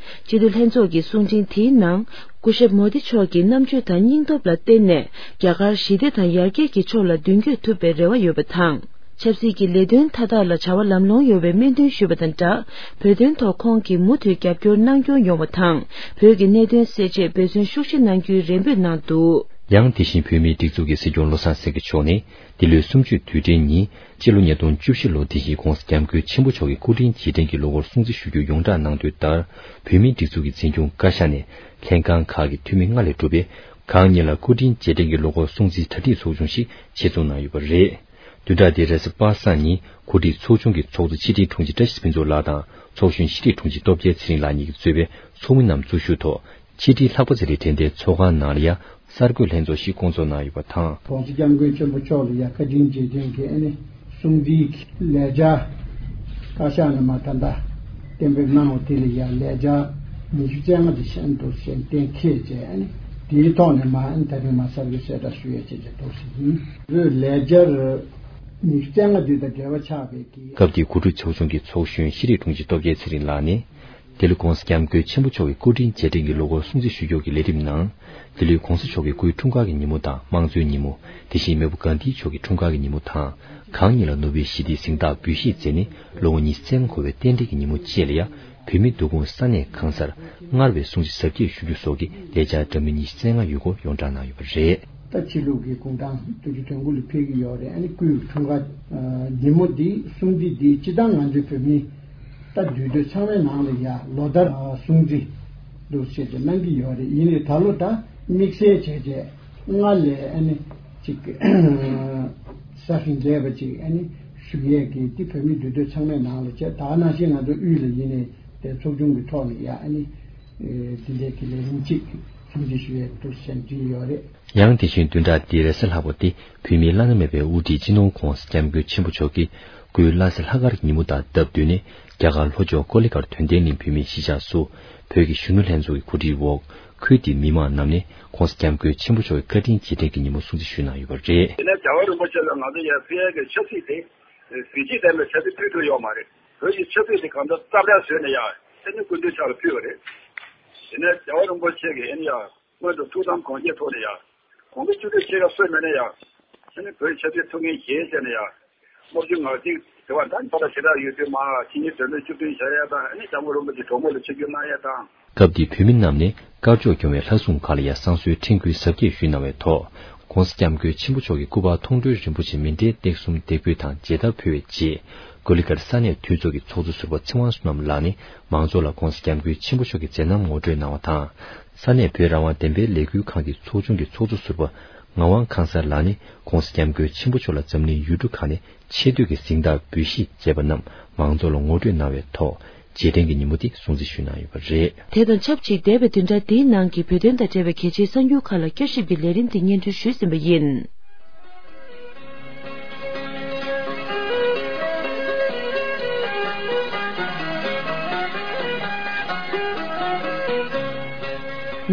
སྤྱི་འཐུས་ལྷན་ཚོགས་ཀྱི་གསུང་འཕྲིན་དེའི་ནང་། སྐུ་ཞབས་མོ་དི་མཆོག་གི་རྣམ་དཔྱོད་དང་སྙིང་སྟོབས་ལ་བརྟེན་ནས་རྒྱ་གར་ཞི་བདེ་དང་ཡར་རྒྱས་ཀྱི་ཕྱོགས་ལ་མདུན་སྐྱོད་ཐུབ་པའི་རེ་བ་ཡོད་པ་དང་། ཆབ་སྲིད་ཀྱི་ལས་དོན་མཐའ་དག་ལ་བྱ་བ་ལམ་ལྷོང་ཡོང་བའི་སྨོན་འདུན་ཞུས་པ་དང་སྦྲགས། བོད་དོན་ཐོག་ཁོང་གིས་མུ་མཐུད་རྒྱབ་སྐྱོར་གནང་སྐྱོང་ཡོང་བ་དང་། བོད་ཀྱི་གནད་དོན་སེལ་ཆེད་འབད་བརྩོན་ཤུགས་ཆེ་གནང་རྒྱུའི་རེ་འབོད་གནང་འདུག། ཡང་དེ་བཞིན་བོད་མིའི་སྒྲིག་འཛུགས་ཀྱི་སྲིད་སྐྱོང་བློ་བཟང་སེང་གེ་མཆོག་ནས། འདི་ལོའི་གསུམ་བཅུའི་དུས་དྲན་ཉིན། སྤྱི་ལོ་ཉིས་སྟོང་བཅུ་བཞི་ལོ་འདི་ཡི་༧གོང་ས་༧སྐྱབས་མགོན་ཆེན་པོ་མཆོག་གི་སྐུ་ཕྲེང་རྗེས་དྲན་གྱི་ལོ་འཁོར་སྲུང་བརྩི་ཞུ་རྒྱུ་ཡོངས་བསྒྲགས་གནང་དོན་ལྟར། བོད་མིའི་སྒྲིག་འཛུགས་ཀྱི་འཛིན་སྐྱོང་བཀའ་ཤག་ནས་ལྷན་ཁང་ཁག་གི་འཐུས་མི་ལྔ་ལས་གྲུབ་པའི་གང་ཉིད་ལ་སྐུ་ཕྲེང་རྗེས་དྲན་གྱི་ལོ་འཁོར་སྲུང་བརྩིའི་གྲ་སྒྲིག་ཚོགས་ཆུང་ཞིག་ཆེད་འཛུགས་གནང་ཡོད་པ་རེད། བདུན་ཕྲག་འདིའི་རེས་གཟའ་པ་སངས་ཉིན་གོ་སྒྲིག་ཚོགས་ཆུང་གི་ཚོགས་གཙོ་ཕྱི་དྲིལ་དྲུང་ཆེ་བཀྲ་ཤིས་ཕུན་ཚོགས་ལགས་དང་ཚོགས་གཞོན་ཕྱི་དྲིལ་དྲུང་ཆེ་སྟོབས་རྒྱལ་ཚེ་རིང་ལགས་གཉིས་ཀྱིས་གཙོས་པའི་ཚོགས་མི་རྣམས་གཙོ་བཞུགས་ཐོག་ཕྱི་དྲིལ་ལྷག་པ་ཚེ་རིང་དྲན་རྟེན་ཚོགས་ཁང་ནང་ལ་ཡ་གསར་འགོད་ལྷན་ཚོགས་ཤིག་བསྐོང་ཚོགས་གནང་ཡོད་པ་དང་། ༸གོང་ས་༸སྐྱབས་མགོན་ཆེན་པོ་མཆོག་ལ་ཡ་བཀའ་དྲིན་རྗེས་དྲན་གྱི་ཨ་ནི་སྲུང་བརྩིའི་ལས་འཆར་བཀའ་ཤག་ནས་མ་ད་ལྟ་གཏན་འབེབས་གནང་བ་དེ་ལ་ཡ་ལས་འཆར་ཉི་ཤུ་རྩ་ལྔ་དེ་ཤན་དུ་ཞན་གཏན་འཁེལ་བྱས་ཨ་ནི་དེའི་ཐོག་ནས་མ་ཨ་ནི་ད་རིང་མ་གསར་འགོད་གསལ་བསྒྲགས་ཞུ་ཡས་བྱས་ཀྱི་འདུག་ཟེར་ཡིན། བོད་ལས་འཆར་ཉི་ཤུ་རྩ་ལྔ་དེ་དང་འབྲེལ་བ་ཆགས་པའི་གི། སྐབས་དེའི་གོ་སྒྲིག་ཚོགས་ཆུང་གི་ཚོགས་གཞོན་ཕྱི་དྲིལ་དྲུང་ཆེ་སྟོབས་རྒྱལ་ཚེ་རིང་ལགས་ནས། དེ་ལོ་༸གོང་ས་༸སྐྱབས་མགོན་ཆེན་པོ་མཆོག་གི་སྐུ་ཕྲེང་རྗེས་དྲན་གྱི་ལོ་འཁོར་སྲུང་བརྩི་ཞུ་སྐྱོར་གྱི་ལས་རིམ་ནང་། དེ་ལོའི་༸གོང་ས་མཆོག་གི་སྐུའི་འཁྲུངས་སྐར་གྱི་ཉིན་མོ་དང་དམངས་གཙོའི་ཉིན་མོ། དེ་བཞིན་མེས་པོ་གྷན་དྷི་མཆོག་གི་འཁྲུངས་སྐར་གྱི་ཉིན་མོ་དང་། གང་ཉིད་ལ་ནོ་བེལ་ཞི་བདེའི་གཟེངས་རྟགས་འབུལ་བཞེས་མཛད་ནས་ལོ་ངོ་ཉི་ཤུ་རྩ་ལྔ་འཁོར་བའི་རྟེན་འབྲེལ་གྱི་ཉིན་མོ་བཅས་ལ་ཡང་བོད་མིའི་འདུ་ཁང་ས་གནས་གང་སར་སྔར་བས་སྲུང་བརྩི་གཟབ་རྒྱས་ཞུ་རྒྱུ་སོགས་ཀྱི་ལས་འཆར་འདྲ་མིན་ཉི་ཤུ་རྩ་ལྔ་ཡོད་སྐོར་ཡོངས་བསྒྲགས་གནང་ཡོད་པ་རེད། ད་ཕྱི་ལུགས་ཀྱི་གུང་ཐང་བདུན་ཅུ་དོན་དགུ་ལ་ཕེབས་ཀྱི་ཡོད་རེད། ཨ་ནི་སྐུའི་འཁྲུངས་སྐར་ཉིན་མོ་འདི་སྲུང་བརྩི་འདི་སྤྱི་བཏང་ང་ཚོའི་བོད་མི་ད་འདུས་སྡོད་ཚང་མའི་ནང་ལ་ཡ་ལོ་ལྟར་སྲུང་བརྩི་འདུག་ཟེར་ཏེ་གནང་གི་ཡོད་རེད། ཡིན་ནའི་ད་ལོ་ད་དམིགས་བསལ་བྱས་བྱས་སྔར་ལས་ཨ་ནི་ཅིག་ས་ཧིང་རྒྱས་པ་ཅིག་ཨ་ནི་ཞུ་ཡས་ཀྱི་འདི་བོད་མི་འདུས་སྡོད་ཚང་མའི་ནང་ལ་བྱས། ད་ནང་བཞིན་ང་ཚོ་དབུས་ལ་ཡིན་ནའི་དེ་ཚོགས་ཆུང་གི་ཐོག་ནས་ཡ་ཨ་ནི་འདི་འདྲའི་གི་ལས་རིམ་ཅིག་སྲུང་བརྩི་ཞུ་ཡས་འདུག་ཟེར་བྲིས་ཡོད་རེད། ཡང་དེ་བཞིན་བདུན་ཕྲག་འདིའི་རེས་གཟའ་ལྷག་པ་སྟེ་བོད་མིའི་བླ་ན་མེད་པའི་དབུ་ཁྲིད་སྤྱི་ནོར་༸གོང་ས་༸སྐྱབས་མགོན་ཆེན་པོ་མཆོག་གི་སྐུའི་བླ་གཟའ་ལྷག་དཀར་གྱི་ཉིན་མོ་དང་སྟབས་བསྟུན་ནས་རྒྱ་གར་ལྷོ་ཕྱོགས་ཀོ་ལི་གྷལ་དོན་ལྡན་གླིང་བོད་མིའི་གཞིས་ཆགས་སུ་བོད་ཀྱི་གཞོན་ནུ་ལྷན་ཚོགས་ཀྱི་གོ་སྒྲིག་འོག་ཁུལ་དེའི་མི་མང་རྣམས་ནས་༸གོང་ས་༸སྐྱབས་མགོན་ཆེན་པོ་མཆོག་གི་བཀའ་དྲིན་རྗེས་དྲན་གྱི་ཉིན་མོ་སྲུང་བརྩི་ཞུས་གནང་ཡོད་པ་རེད། དེ་ནས་རྒྱལ་བ་རིན་པོ་ཆེ་ལ་ང་ཚོ་ཡར་ཕུལ་ཡས་ཀྱི་ཆབ་སྲིད་དེ་གཟི་བརྗིད་ལྡན་པའི་ཆབ་སྲིད་ཕུལ་ཐུབ་ཡོད་མ་རེད། བོད་ཀྱི་ཆབ་སྲིད་དེ་གང་ལྟར་རྩ་བྲལ་བཟོས་ནས་ཡར་ཨ་ནི་སྐུ་མདུན་ཕྱག་ལ་ཕུལ་བ་རེད། དེ་ནས་རྒྱལ་བ་རིན་པོ་ཆེ་གིས་ཨ་ནི་ཡར། སྔོན་དུ་ཐུགས་དམ་དགོངས་བཞེས་ཐོག་ནས་ཡང་། གོང་གི་བཅུ་དྲུག་ཆེ་ཁག་སོས་མེད་ན་ཡང་། ཨ་ནི་བོད་ཆབ་སྲིད་ཐུགས་འགན་བཞེས་བྱས་ནས་ཡང་། དམག་ཇུས་ངག་གཅིག་དེ་བ་ད་ཕ་ད་ཞེ་དྲག་ཡོད་དུས་མ་ཕྱི་ཉིན་དོན་མེད་བཅུ་བདུན་བཞག་ཡ་དང་ཨ་ནི་སྐྱབས་མགོན་རིན་པོ་ཆེ་གྲོགས་མོ་ལ་ཆིབས་བསྒྱུར་གནང་ཡ་དང་། སྐབས་དེའི་བོད་མི་རྣམས་ནས་དཀར་ཕྱོགས་སྐྱོང་བའི་ལྷ་སྲུང་ཁག་ལ་ཡང་བསང་གསོལ་ཕྲེང་སྐུའི་གཟབ་རྒྱས་ཞུས་གནང་བའི་ཐོག་༸གོང་ས་༸སྐྱབས་མགོན་ཆེན་པོ་མཆོག་གི་སྐུ་པར་མཐོང་གྲོལ་རིན་པོ་ཆེ་མཎྜལ་སྟེགས་གསུམ་འདེགས་འབུལ་དང་མཇལ་དར་ཕུལ་བའི་རྗེས། ཀོ་ལི་གྷལ་ས་གནས་འཐུས་ཚོགས་ཀྱི་ཚོགས་གཙོ་ཟུར་པ་ཚེ་དབང་བསོད་ནམས་ལགས་ནས་མང་ཚོགས་ལ་༸གོང་ས་༸སྐྱབས་མགོན་ཆེན་པོ་མཆོག་གི་མཛད་རྣམ་ངོ་སྤྲོད་གནང་བ་དང་། ས་གནས་བོད་རང་དབང་བདེན་པའི་ལས་འགུལ་ཁང་གི་ཚོགས་ཆུང་གི་ཚོགས་གཙོ་ཟུར་པ་ངག་དབང་ཁང་གསར་ལགས་ནས་༸གོང་ས་༸སྐྱབས་མགོན་ཆེན་པོ་མཆོག་ལ་འཛམ་གླིང་ཡུལ་གྲུ་ཁག་ནས་ཆེ་བསྟོད་ཀྱི་གཟེངས་རྟགས་འབུལ་བཞེས་བྱས་པ་རྣམས་མང་ཚོགས་ལ་ངོ་སྤྲོད་གནང་བའི་ཐོག་རྗེས་དྲན་གྱི་ཉིན་མོ་དེ་སྲུང་བརྩི་ཞུས་གནང་ཡོད་པ་རེད། དེ་དང་ཆབས་ཅིག་འདས་པའི་བདུན་ཕྲག་འདིའི་ནང་གི་བོད་དོན་དང་འབྲེལ་བའི་གལ་ཆེའི་གསར་འགྱུར་ཁག་ལ་བསྐྱར་ཞིབ་ཀྱི་ལས་རིམ་དེ་སྙན་སྒྲོན་ཞུས་ཟིན་པ་ཡིན།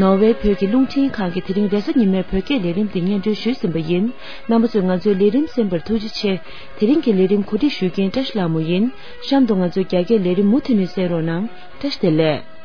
ནོར་ཝེ་བོད་ཀྱི་རླུང་འཕྲིན་ཁང་གིས་དེ་རིང་རེས་གཟའ་ཉི་མའི་བོད་སྐད་ལས་རིམ་འདི་སྙན་སྒྲོན་ཞུས་ཟིན་པ་ཡིན། རྣམ་པ་ཚོས་ང་ཚོའི་ལས་རིམ་གསན་པར་ཐུགས་རྗེ་ཆེ། དེ་རིང་གི་ལས་རིམ་གོ་སྒྲིག་ཞུ་མཁན་བཀྲ་ཤིས་ལྷ་མོ་ཡིན། གཤམ་དུ་ང་ཚོའི་རྒྱ་སྐད་ལས་རིམ་མུ་མཐུད་ནས་གསན་རོགས་གནང་། བཀྲ་ཤིས་བདེ་ལེགས།